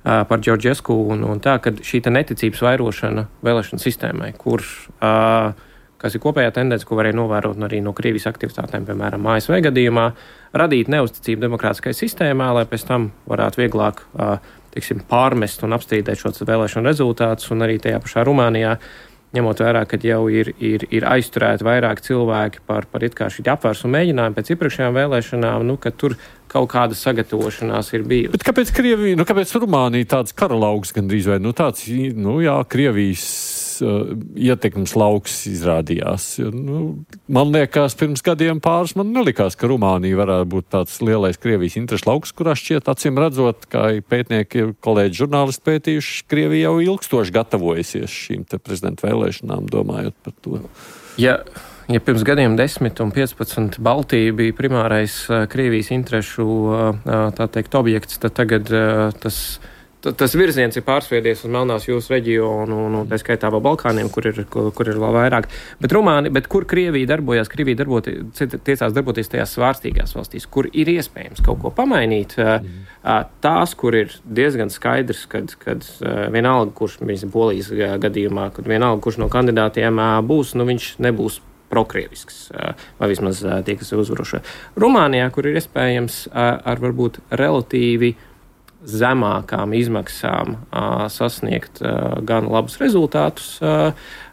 par Džordžesku un, un tā, kad šī neticības vairošana vēlēšanu sistēmai, kur, uh, kas ir kopējā tendence, ko varēja novērot arī no Krievijas aktivitātēm, piemēram, A S V gadījumā, radīt neuzticību demokrātiskai sistēmā, lai pēc tam varētu vieglāk, uh, teiksim, pārmest un apstrīdēt šos vēlēšanu rezultātus, un arī tajā pašā Rumānijā, ņemot vērā, ka jau ir, ir, ir aizturēti vairāk cilvēki par, par it kā šī apvērsumu mēģinājumu pēc iepriekšējām vēlēšanām, nu, ka tur kaut kāda sagatavošanās ir bijusi. Bet kāpēc Krievija, nu kāpēc Rumānija tāds karalauks gandrīz vai, nu tāds, nu jā, Krievijas uh, ietekmes lauks izrādījās? Nu, man liekas, pirms gadiem pāris man nelikās, ka Rumānija varētu būt tāds lielais Krievijas interešu lauks, kurā šķiet acīm redzot, kā pētnieki, kolēģi žurnālisti pētījuši, Krievija jau ilgstoši gatavojusies šīm te prezidenta vēlēšanām, domājot par to. Ja. Ja pirms gadiem desmit un piecpadsmit Baltija bija primārais uh, Krievijas interešu uh, tā teikt objekts, tad tagad uh, tas, t- tas virziens ir pārsviedies uz Melnās jūras reģionu un, un tā skaitā vēl Balkāniem, kur ir, kur, kur ir vēl vairāk. Bet Rumāni, bet kur Krievija darbojās? Krievija darboti, tiecās darboties tajās svārstīgās valstīs, kur ir iespējams kaut ko pamainīt. Uh, uh, tās, kur ir diezgan skaidrs, kad, kad uh, vienalga, kurš, mēs Polijas gadījumā, kad vienalga, kurš no kandidātiem uh, būs, nu viņš nebūs prokrievisks, vai vismaz tie, kas ir uzvarošie. Rumānijā, kur ir iespējams ar varbūt relatīvi zemākām izmaksām sasniegt gan labus rezultātus,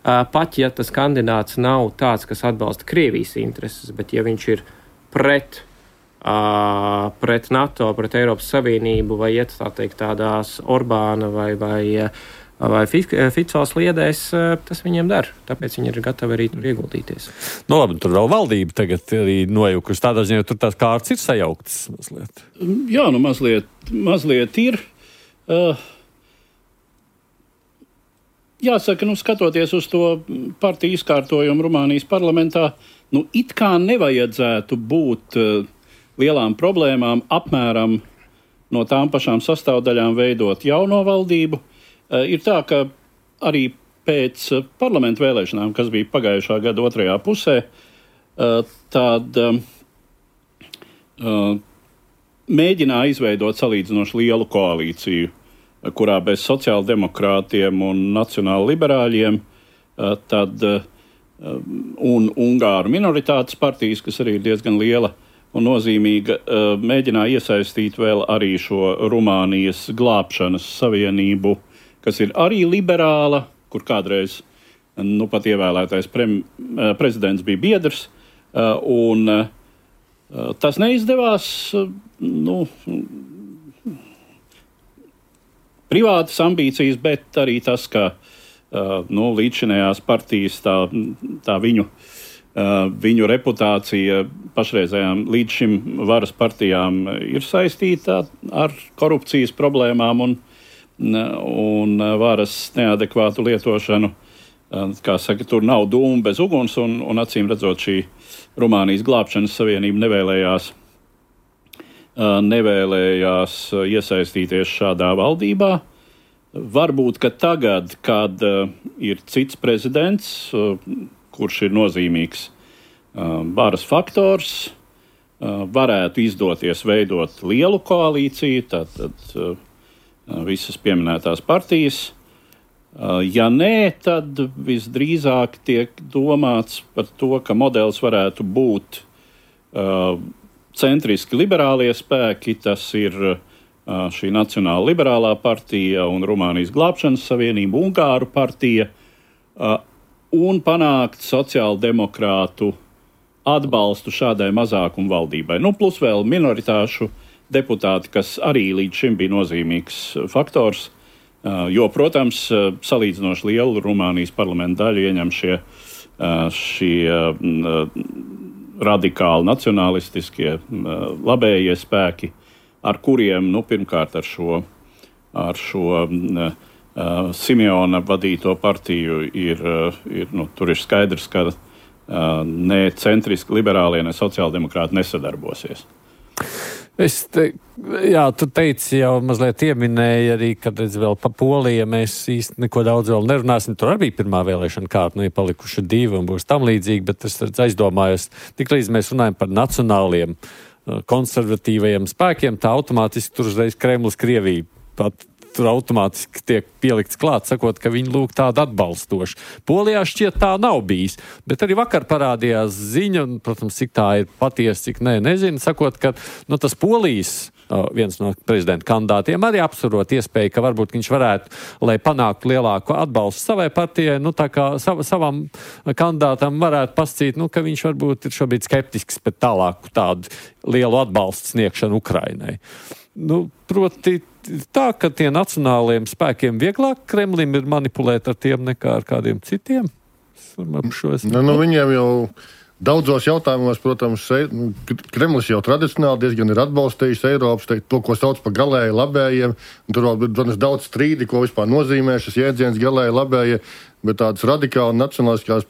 pat ja tas kandidāts nav tāds, kas atbalsta Krievijas intereses, bet ja viņš ir pret, pret NATO, pret Eiropas Savienību vai iet tā teikt tādās Orbāna vai, vai vai Fico sliedēs, tas viņiem der. Tāpēc viņi ir gatavi arī tur ieguldīties. Nu labi, tur vēl valdība tagad arī nojukusi. Tādā ziņā tur tās kārtas ir sajauktas mazliet. Jā, nu mazliet, mazliet ir. Uh, jāsaka, nu skatoties uz to partiju izkārtojumu Rumānijas parlamentā, nu it kā nevajadzētu būt uh, lielām problēmām apmēram no tām pašām sastāvdaļām veidot jauno valdību. Uh, ir tā, ka arī pēc uh, parlamentu vēlēšanām, kas bija pagājušā gada otrajā pusē, uh, tad uh, uh, mēģināja izveidot salīdzinoši lielu koalīciju, uh, kurā bez sociāldemokrātiem un nacionāli liberāļiem, uh, tad uh, un Ungāru minoritātes partijas, kas arī ir diezgan liela un nozīmīga, uh, mēģināja iesaistīt vēl arī šo Rumānijas glābšanas savienību, kas ir arī liberāla, kur kādreiz nu, pat ievēlētais prem, prezidents bija biedrs, un tas neizdevās. Nu, privātas ambīcijas, bet arī tas, ka nu, līdzšinējās partijas, tā, tā viņu, viņu reputācija pašreizējām līdz šim varas partijām ir saistīta ar korupcijas problēmām un un varas neadekvātu lietošanu. Kā saka, tur nav dūma bez uguns, un, un acīm redzot šī Rumānijas glābšanas savienība nevēlējās, nevēlējās iesaistīties šādā valdībā. Varbūt, ka tagad, kad ir cits prezidents, kurš ir nozīmīgs varas faktors, varētu izdoties veidot lielu koalīciju, tātad visas pieminētās partijas. Ja nē, tad visdrīzāk tiek domāts par to, ka modelis varētu būt uh, centriski liberālie spēki. Tas ir uh, šī Nacionāla liberālā partija un Rumānijas glābšanas savienība, Ungāru partija, uh, un panākt sociāldemokrātu atbalstu šādai mazākumu valdībai. Nu, plus vēl minoritāšu deputāti, kas arī līdz šim bija nozīmīgs faktors, jo, protams, salīdzinoši lielu Rumānijas parlamentu daļu ieņem šie, šie radikāli nacionalistiskie labējie spēki, ar kuriem, nu, pirmkārt ar šo, ar šo Simeona vadīto partiju ir, ir nu, tur ir skaidrs, ka ne centriski liberālie, ne sociāldemokrāti nesadarbosies. Es te, jā, tu teici jau mazliet ieminēji arī, kad redz vēl pa Poliju, mēs īsti neko daudz vēl nerunāsim. Tur arī bija pirmā vēlēšana kārta, nu ir palikuši divi un būs tam līdzīgi, bet es redz, aizdomājos, tiklīdz mēs runājam par nacionāliem konservatīvajiem spēkiem, tā automātiski tur uzreiz Kremlis Krievija pat tur automātiski tiek pielikts klāt, sakot, ka viņi lūk tādu atbalstoši. Polijā šķiet tā nav bijis, bet arī vakar parādījās ziņa, un, protams, cik tā ir patiesa, cik nē, nezinu, sakot, ka nu, tas Polijas viens no prezidenta kandidātiem arī apsvarot iespēju, ka varbūt viņš varētu, lai panāktu lielāku atbalstu savai partijai, nu tā kā sav, savam kandidātam varētu pascīt, nu, ka viņš varbūt ir šobrīd skeptisks pēc tālāku tādu lielu atbalstu sniegšanu Ukrainai. Nu, proti tā, ka tie nacionālajiem spēkiem vieglāk Kremlim ir manipulēt ar tiem nekā ar kādiem citiem? Nu, nu, viņiem jau daudzos jautājumos, protams, Kremlis jau tradicionāli diezgan ir atbalstījis Eiropas, teikt, to, ko sauc par galēji labējiem. Tur vēl ir daudz strīdi, ko vispār nozīmē šis jēdziens galēji labējie. Bet tādas radikāli nacionāliskās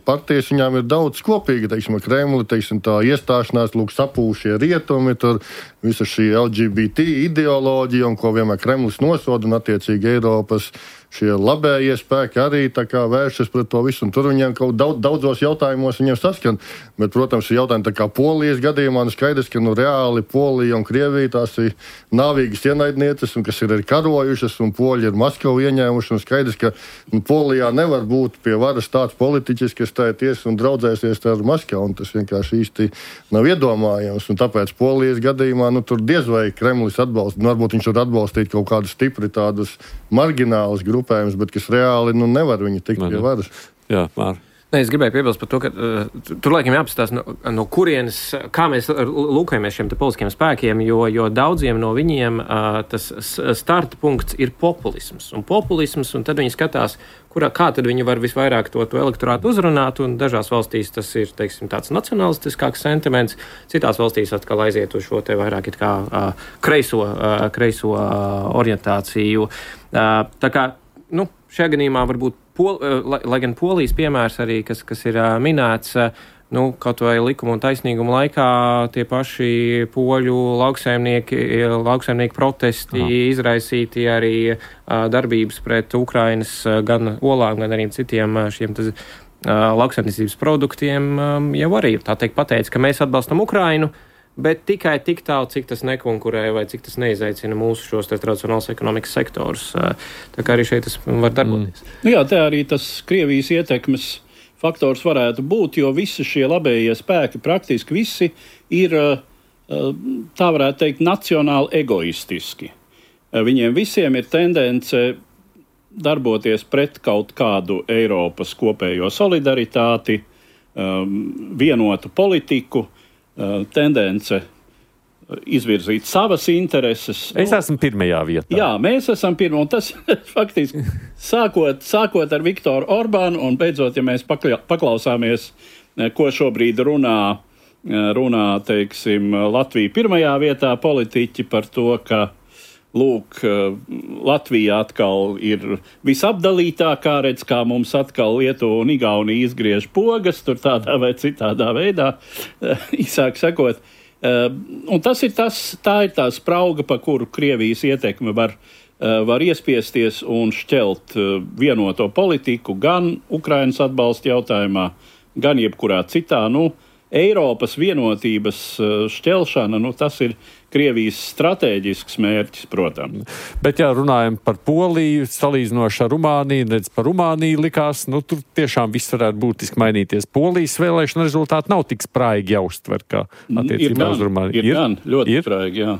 partijas viņām ir daudz kopīga, teiksim, ar Kremli, teiksim, tā iestāšanās, lūk, sapūšie rietumi, tur visa šī L G B T ideoloģija, un ko vienmēr Kremlis nosoda, un attiecīgi Eiropas šie labējie spēki arī tā kā vēršas pret to visu, un tur viņiem kaut daudz, daudzos jautājumos viņiem saskan. Bet, protams, ir jautājumi tā kā Polijas gadījumā, nu skaidrs, ka nu reāli Polija un Krievija tās ir nāvīgas ienaidnieces, un kas ir arī karojušas, un Poļi ir Maskavu ieņēmuši, un skaidrs, ka nu, Polijā nevar būt pie varas tāds politiķis, kas stājas un draudzēsies ar Maskavu, un tas vienkārši īsti nav iedomājams. Un tāpēc Polijas gadījumā nu, tur diez vai Kremlis atbalsta, nu, varbūt viņš var atbalstīt kaut kādus stipri tādus marginālus grupējumus, bet kas reāli nu, nevar viņi tikt pie varas. Jā, Mār. Ne, es gribēju piebilst par to, ka uh, tur laikam jāapstās, no, no kurienes, kā mēs lūkojamies šiem te politiskiem spēkiem, jo, jo daudziem no viņiem uh, tas starta punkts ir populisms. Un populisms, un tad viņi skatās, kurā, kā tad viņi var visvairāk to, to elektorātu uzrunāt, un dažās valstīs tas ir, teiksim, tāds nacionalistiskāks sentiments, citās valstīs atkal aiziet uz šo te vairāk it kā uh, kreiso, uh, kreiso uh, orientāciju. Uh, tā kā, nu, šajā gadījumā varbūt Pol, lai, lai gan Polijas piemērs arī, kas, kas ir uh, minēts, uh, nu, kaut vai likuma un taisnīguma laikā tie paši poļu lauksaimnieki, lauksaimnieki protesti, Aha. izraisīti arī uh, darbības pret Ukrainas uh, gan olām, gan arī citiem uh, šiem tas, uh, lauksaimniecības produktiem um, jau arī, tā teikt, pateica, ka mēs atbalstam Ukrainu, bet tikai tik tālu, cik tas nekonkurē vai cik tas neizaicina mūsu šos tradicionālos ekonomikas sektorus. Tā kā arī šeit tas var darboties. Mm. Nu jā, te arī tas Krievijas ietekmes faktors varētu būt, jo visi šie labējie spēki, praktiski visi ir, tā varētu teikt, nacionāli egoistiski. Viņiem visiem ir tendence darboties pret kaut kādu Eiropas kopējo solidaritāti, vienotu politiku, tendence izvirzīt savas intereses. Es esmu pirmajā vietā. Jā, mēs esam pirmā, un tas faktiski sākot, sākot ar Viktoru Orbānu, un beidzot, ja mēs pakla, paklausāmies, ko šobrīd runā, runā, teiksim, Latvija pirmajā vietā politiķi par to, ka lūk, Latvija atkal ir visapdalītākā, redz, kā mums atkal Lietuva un Igaunija izgriež pogas, tur tādā vai citādā veidā, īsāk sakot. Un tas ir tas, tā ir tā sprauga, pa kuru Krievijas ietekme var, var iespiesties un šķelt vienoto politiku gan Ukrainas atbalsta jautājumā, gan jebkurā citā. Nu, Eiropas vienotības šķelšana, nu, tas ir Krievijas stratēģisks mērķis, protams. Bet, ja runājam par Poliju, salīdzinoši ar Rumāniju, redz par Rumāniju likās, nu, tur tiešām viss varētu būtiski mainīties. Polijas vēlēšana rezultāti nav tik spraigi jāuztver, kā attiecībā uz Rumāniju. Ir, ir gan, ļoti ir? spraigi, jā.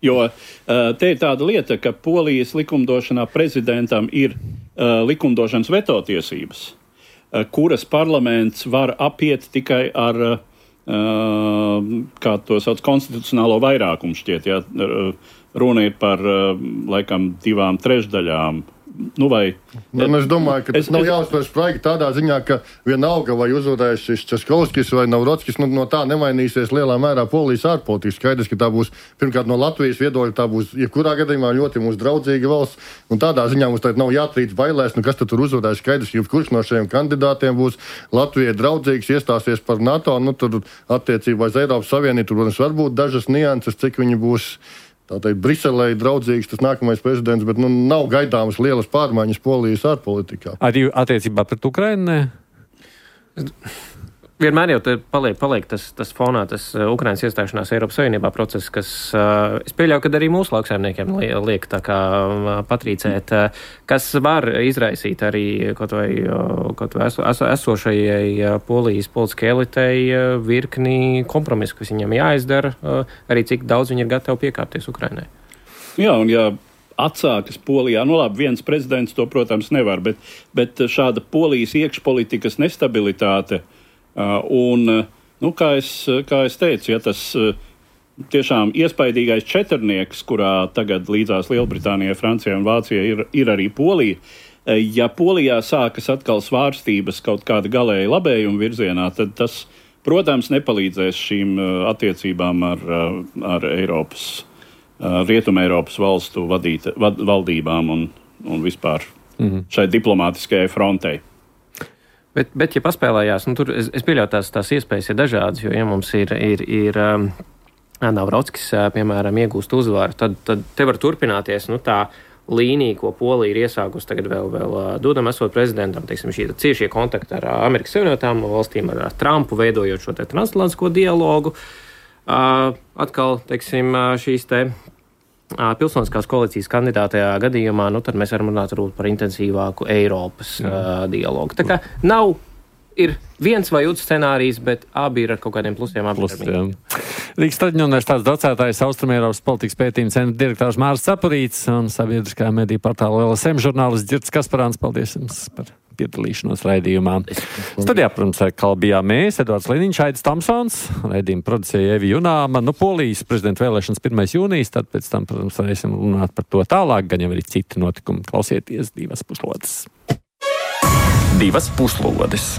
Jo te ir tāda lieta, ka Polijas likumdošanā prezidentam ir uh, likumdošanas vetotiesības, uh, kuras parlaments var apiet tikai ar uh, Uh, kā to sauc, konstitucionālo vairākumu šķiet, ja runa ir par, uh, laikam, divām trešdaļām. Nu, vai... Nu, es domāju, ka tas es, nav jāuztver spraigi tādā ziņā, ka vienalga vai uzvarēs šis Českovskis vai Navrotskis, nu, no tā nemainīsies lielā mērā Polijas ārpolitika. Skaidrs, ka tā būs, pirmkārt, no Latvijas viedokļa, tā būs, jebkurā gadījumā ļoti mūsu draudzīga valsts, un tādā ziņā mums tagad nav jātrīc bailēs, nu kas tad tur uzvarēs. Skaidrs, ka kurš no šiem kandidātiem būs Latvijai draudzīgs, iestāsies par NATO, nu tur attiecībā uz Eiropas Savienību, tur, protams, varbūt dažas nianses, cik viņi būs tātad Briselē draudzīgs tas nākamais prezidents, bet nu, nav gaidāmas lielas pārmaiņas Polijas ārpolitikā. Arī attiecībā pret Ukrainu? Vienmēr jau paliek, paliek tas, tas fonā, tas Ukrainas iestāšanās Eiropas Savienībā process, kas, uh, es pieļauju, ka arī mūsu lauksaimniekiem liek tā kā uh, patrīcēt, uh, kas var izraisīt arī kaut vai, uh, kaut vai eso, eso, esošajai uh, Polijas politiskajai elitei uh, virkni kompromisu, kas viņam jāizdara, uh, arī cik daudz viņi ir gatavi piekāpties Ukrainai. Jā, un jā. Atsākas Polijā. Nu labi, viens prezidents to, protams, nevar, bet, bet šāda Polijas iekšpolitikas nestabilitāte uh, un, nu, kā es, kā es teicu, ja tas uh, tiešām iespaidīgais četrnieks, kurā tagad līdzās Lielbritānijai, Francijai un Vācijai ir, ir arī Polija, uh, ja Polijā sākas atkal svārstības kaut kāda galēja labējuma virzienā, tad tas, protams, nepalīdzēs šīm uh, attiecībām ar, uh, ar Eiropas Rietuma Eiropas valstu vadīt, vad, valdībām un, un vispār mm-hmm. šai diplomātiskajai frontei. Bet, bet ja paspēlējās, nu tur es, es pieļauju tās, tās iespējas ir dažādas, jo ja mums ir, ir, ir um, Navrotskis, piemēram, iegūst uzvaru, tad, tad te var turpināties, nu tā līnija, ko Polija ir iesākusi tagad vēl, vēl Dudam esot prezidentam, teiksim, šī ciešie kontakti ar Amerikas Savienotām valstīm, ar Trumpu, veidojot šo te transatlantisko dialogu. Uh, atkal, teiksim, šīs te uh, pilsoniskās koalīcijas kandidātajā gadījumā, nu tad mēs varam runāt par intensīvāku Eiropas uh, dialogu. Tā kā nav, ir viens vai otrs scenārijs, bet abi ir ar kaut kādiem plusiem. Plusiem. Rīgas Traģiņu universitātes docētājs Austrumēropas politikas pētījuma centra direktors Māris Cepurītis un sabiedriskā mediju portāla L S M žurnālists Ģirds Kasparāns. Paldies jums par piedalīšanos raidījumā. Studijā, protams, atkal bijām mēs, Edvards Liniņš, Aidis Tamsons, raidījuma producēja Evi Junāma. Nu, Polijas prezidenta vēlēšanas pirmais jūnijas, tad pēc tam, protams, varēsim runāt par to tālāk, gan jau arī citi notikumi. Klausieties divas puslodes. Divas puslodes.